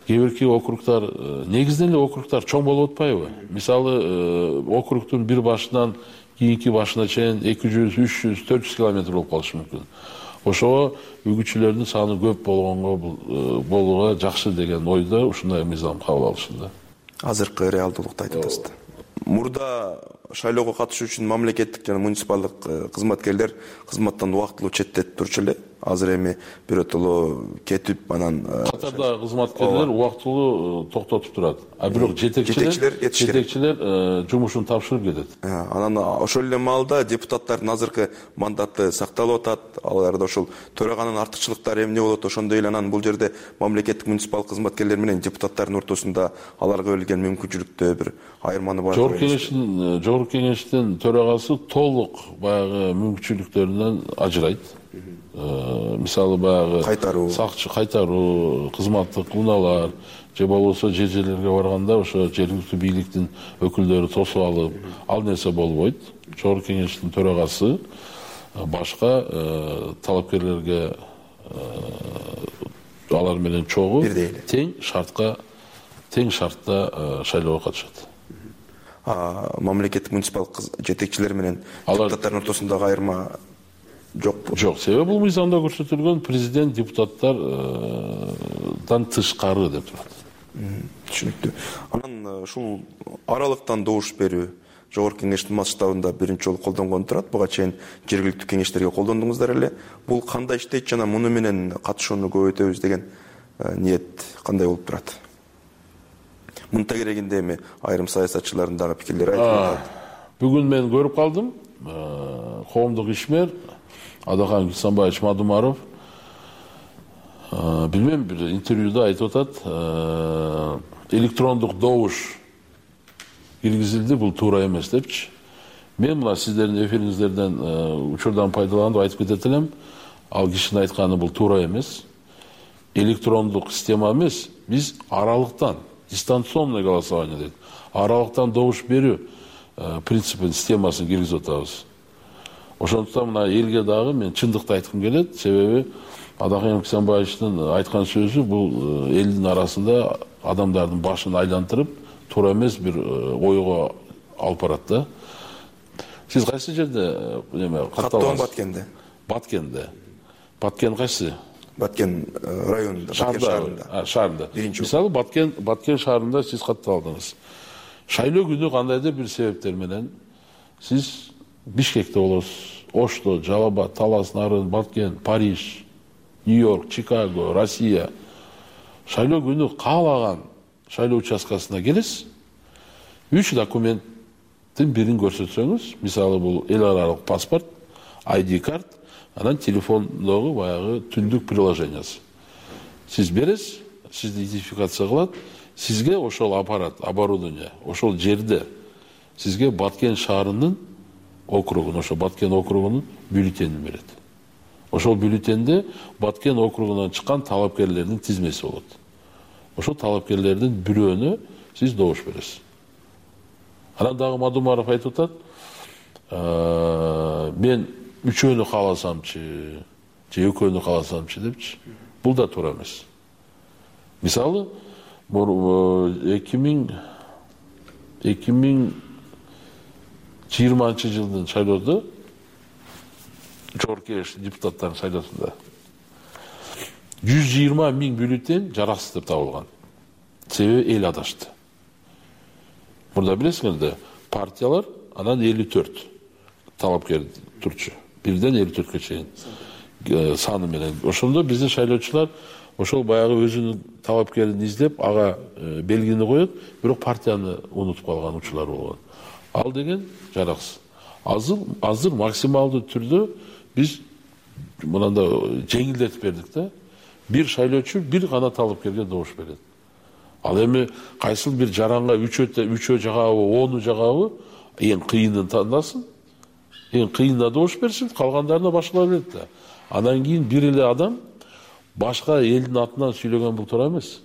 кээ бирки округдар, негизинен эле округдар чоң болуп атпайбы? Мисалы, округдун бир башынан кийинки башына чейин эки жүз, үч жүз, төрт жүз километр болуп калышы мүмкүн. Ошого үгүтчүлөрдүн саны көп болгонго болууга жакшы деген ойдо ушундай мыйзам кабыл алышында. Азыркы реалдуулукту айтып атасыз. Мурда шайлоого катышуу үчүн мамлекеттик жана муниципалдык кызматкерлер кызматтан убактылуу четтетип турчу эле. Азыр эми биротоло кетип, анан катардагы кызматкерлер убактылуу токтотуп турат. А бирок жетекчилер жетекчилер жумушун тапшырып кетет. Анан ошол эле маалда депутаттардын азыркы мандаты сакталып атат. Аларда ошол төраганын артыкчылыктары эмне болот? Ошондой эле анан бул жерде мамлекеттик муниципалдык кызматкерлер менен депутаттардын ортосунда аларга берилген мүмкүнчүлүктө бир айырманы бар. Жогорку кеңештин жогорку кеңештин төрагасы толук баягы мүмкүнчүлүктөрүнөн ажырайт. Мисалы баягы кайтаруу, сакчы кайтаруу, кызматтык унаалар же болбосо жер жерлерге барганда ошо жергиликтүү бийликтин өкүлдөрү тосуп алып, ал нерсе болбойт. Жогорку кеңештин төрагасы башка талапкерлерге алар менен чогуу тең шартка тең шартта шайлоого катышат. Мамлекеттик муниципалдык жетекчилер менен депутаттардын ортосундагы айырма жок. Жок, себеби бул мыйзамда көрсөтүлгөн президент депутаттардан тышкары деп турат. Түшүнүктүү. Анан ушул аралыктан добуш берүү жогорку кеңештин масштабында биринчи жолу колдонгон турат. Буга чейин жергиликтүү кеңештерге колдондуңуздар эле. Бул кандай иштейт жана муну менен катышууну көбөйтөбүз деген ниет кандай болуп турат? Мунта керегинде эми айрым саясатчылардын дагы пикирлери айтылып атат. Бүгүн мен көрүп калдым. Коомдук ишмер Адахан Кисанбаевич Мадумаров билбейм, бир интервьюда айтып атат, электрондук добуш киргизилди, бул туура эмес депчи. Мен мына сиздердин эфириңиздерден учурдан пайдаланып айтып кетет элем, ал кишинин айтканы бул туура эмес. Электрондук система эмес, биз аралыктан, дистанционный голосование дейт. Аралыктан добуш берүү принципин, системасын киргизип атабыз. Ошондуктан мына элге дагы мен чындыкты айткым келет, себеби Адахан Кисанбаевичтин айткан сөзү бул элдин арасында адамдардын башын айлантырып, туура эмес бир ойго алып барат да. Сиз кайсы жерде эме катталган? Баткенде. Баткенде. Баткен кайсы? Баткен районунда, Баткен шаарында. Шаарында. Мисалы Баткен Баткен шаарында сиз катталдыңыз. Шайлоо күнү кандайдыр бир себептер менен сиз Бишкекте болосуз, Ошто, Жалал-Абад, Талас, Нарын, Баткен, Париж, Нью-Йорк, Чикаго, Россия. Шайлоо күнү каалаган шайлоо участкасына келесиз. Үч документтин бирин көрсөтсөңүз, мисалы бул эл аралык паспорт, ай ди карт, анан телефондогу баягы түндүк приложениясы. Сиз бересиз, сизди идентификация кылат, сизге ошол аппарат, оборудование, ошол жерде сизге Баткен шаарынын округун, ошо Баткен округунун бюллетенин берет. Ошол бюллетенде Баткен округунан чыккан талапкерлердин тизмеси болот. Ошол талапкерлердин бирөөнө сиз добуш бересиз. Анан дагы Мадумаров айтып атат, мен үчөөнү кааласамчы, же экөөнү кааласамчы депчи. Бул да туура эмес. Мисалы, эки миң жыйырманчы жылдын шайлоодо, Жогорку Кеңеш депутаттарын шайлоосунда жүз жыйырма миң бюллетень жараксыз деп табылган. Себеби эл адашты. Мурда билесиңер да, партиялар анан элүү төрт талапкер турчу. Бирден элүү төрткө чейин саны менен. Ошондо биздин шайлоочулар ошол баягы өзүнүн талапкерин издеп, ага белгини коет, бирок партияны унутуп калган учурлар болгон. Ал деген жараксыз. Азыр азыр максималдуу түрдө биз мынанда жеңилдетип бердик да. Бир шайлоочу бир гана талапкерге добуш берет. Ал эми кайсыл бир жаранга үчөө үчөө жагабы, ону жагабы, эң кыйынын тандасын. Эң кыйынына добуш берсин, калгандарына башкалар берет да. Анан кийин бир эле адам башка элдин атынан сүйлөгөн бул туура эмес.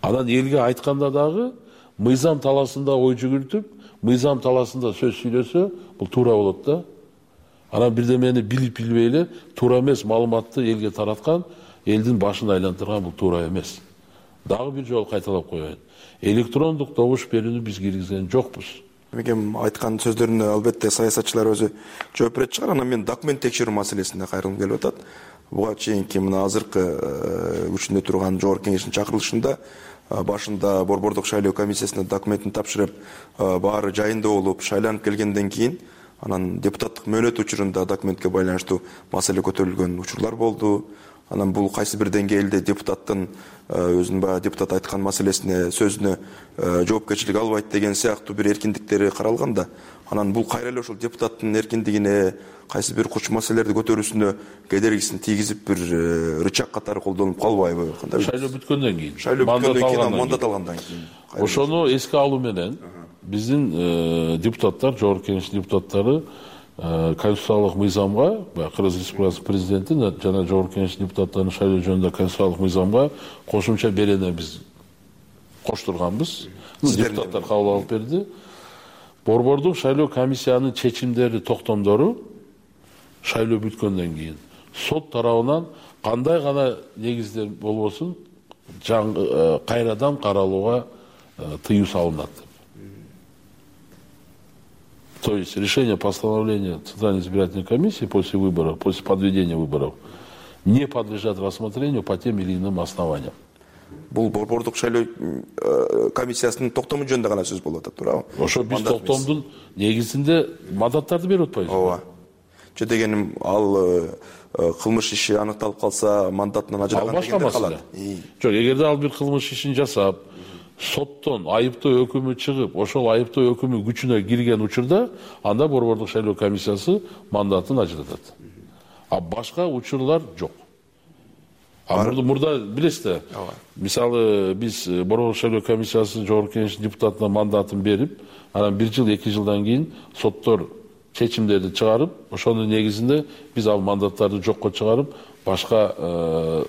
Анан элге айтканда дагы мыйзам таласында ой жүгүртүп, мыйзам таласында сөз сүйлөсө, бул туура болот да. Анан бирдемени билип билбей эле туура эмес маалыматты элге тараткан, элдин башын айлантырган бул туура эмес. Дагы бир жолу кайталап коеюн. Электрондук добуш берүүнү биз киргизген жокпуз. Мекем айткан сөздөрүнө албетте саясатчылар өзү жооп берет чыгар. Анан мен документ текшерүү маселесине кайрылгым келип атат. Буга чейинки мына азыркы күчүндө турган Жогорку Кеңештин чакырылышында башында борбордук шайлоо комиссиясына документин тапшырып, баары жайында болуп, шайланып келгенден кийин анан депутаттык мөөнөт учурунда документке байланыштуу маселе көтөрүлгөн учурлар болду. Анан бул кайсы бир деңгээлде депутаттын өзүнүн баягы депутат айткан маселесине, сөзүнө жоопкерчилик албайт деген сыяктуу бир эркиндиктери каралган да. Анан бул кайра эле ошол депутаттын эркиндигине, кайсы бир курч маселелерди көтөрүүсүнө кедергисин тийгизип бир рычаг катары колдонуп калбайбы? Кандай? Шайлоо бүткөндөн кийин. Шайлоо бүткөндөн кийин, мандат алгандан кийин. Ошону эске алуу менен биздин депутаттар, Жогорку Кеңеш депутаттары конституциялык мыйзамга, Кыргыз Республикасы президенти жана Жогорку Кеңеш депутаттарынын шайлоо жөнүндө конституциялык мыйзамга кошумча берене биз коштурганбыз. Депутаттар кабыл алып берди. Борбордук шайлоо комиссиянын чечимдери, токтомдору шайлоо бүткөндөн кийин сот тарабынан кандай гана негиздер болбосун кайрадан каралууга тыюу салынат. То есть решение постановления Центральной избирательной комиссии после выборов, после подведения выборов, не подлежат рассмотрению по тем или иным основаниям. Бул борбордук шайлоо комиссиясынын токтому жөнүндө гана сөз болуп атат, туурабы? Ошо биз токтомдун негизинде мандаттарды берип атпайбызбы? Ооба. Же дегеним, ал кылмыш иши аныкталып калса, мандатынан ажыраган дегендер калат. Жок, эгерде ал бир кылмыш ишин жасап, соттон айыптоо өкүмү чыгып, ошол айыптоо өкүмү күчүнө кирген учурда, анда борбордук шайлоо комиссиясы мандатын ажыратат. А башка учурлар жок. А мурда мурда билесиз, мисалы биз борбордук шайлоо комиссиясы Жогорку Кеңештин депутатына мандатын берип, анан бир жыл, эки жылдан кийин соттор чечимдерди чыгарып, ошонун негизинде биз ал мандаттарды жокко чыгарып, башка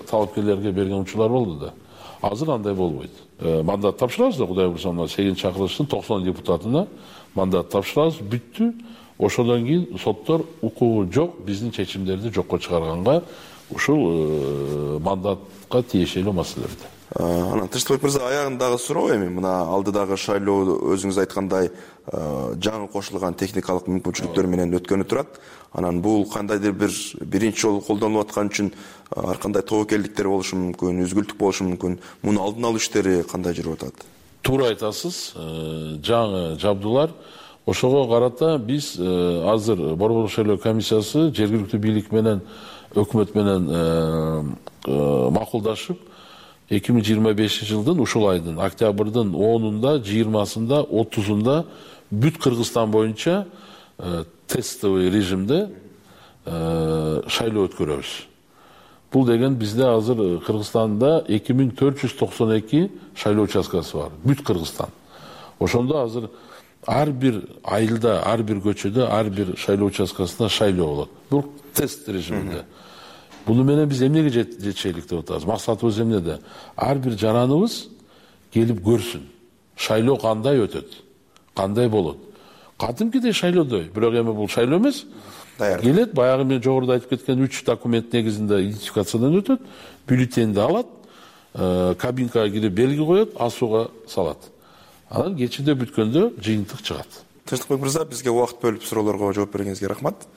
талапкерлерге берген учурлар болду да. Азыр андай болбойт. Мандат тапшырабыз да, Кудай буйруса, сегизинчи чакырылыштын токсон депутатына мандат тапшырабыз, бүттү. Ошондон кийин соттор укугу жок, биздин чечимдерди жокко чыгарганга ушул мандатка тиешелүү маселелерди. Анан Тынчтыкбек мырза, аягындагы суроо эми мына алдыдагы шайлоо өзүңүз айткандай жаңы кошулган техникалык мүмкүнчүлүктөр менен өткөнү турат. Анан бул кандайдыр бир биринчи жолу колдонулуп аткан үчүн ар кандай тобокелдиктер болушу мүмкүн, үзгүлтүк болушу мүмкүн. Муну алдын алуу иштери кандай жүрүп атат? Туура айтасыз. Жаңы жабдуулар, ошого карата биз азыр борбордук шайлоо комиссиясы жергиликтүү бийлик менен, өкмөт менен макулдашып, эки миң жыйырма бешинчи жылдын ушул айдын октябрдын онунда, жыйырмасында, отузунда бүт Кыргызстан боюнча тестовый режимде шайлоо өткөрөбүз. Бул деген бизде азыр Кыргызстанда эки миң төрт жүз токсон эки шайлоо участкасы бар, бүт Кыргызстан. Ошондо азыр ар бир айылда, ар бир көчөдө, ар бир шайлоо участкасында шайлоо болот. Бул тест режиминде. Буну менен биз эмнеге жетишелик деп атабыз? Максатыбыз эмнеде? Ар бир жараныбыз келип көрсүн. шайлоо кандай өтөт, кандай болот. Кадимкидей шайлоодой, бирок эми бул шайлоо эмес. Келет, баягы мен жогоруда айтып кеткен үч документ негизинде идентификациядан өтөт, бюллетенди алат, кабинкага кирип белги коет, асууга салат. Анан кечинде бүткөндө жыйынтык чыгат. Тынчтыкбек мырза, бизге убакыт бөлүп суроолорго жооп бергениңизге рахмат.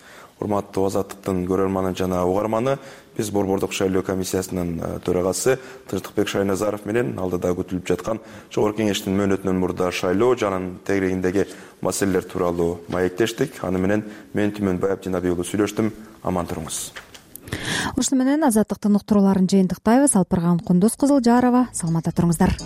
Урматтуу Азаттыктын көрөрманы жана угарманы, биз Борбордук шайлоо комиссиясынын төрагасы Тынчтыкбек Шайназаров менен алдыда күтүлүп жаткан Жогорку Кеңештин мөөнөтүнөн мурда шайлоо жанын тегерегиндеги маселелер тууралуу маектештик. Аны менен мен Түмөнбай Абдинабий уулу сүйлөштүм. Аман туруңуз. Ушуну менен Азаттыктын уктурууларын жыйынтыктайбыз. Алпырган Кундуз Кызылжарова, саламатта туруңуздар.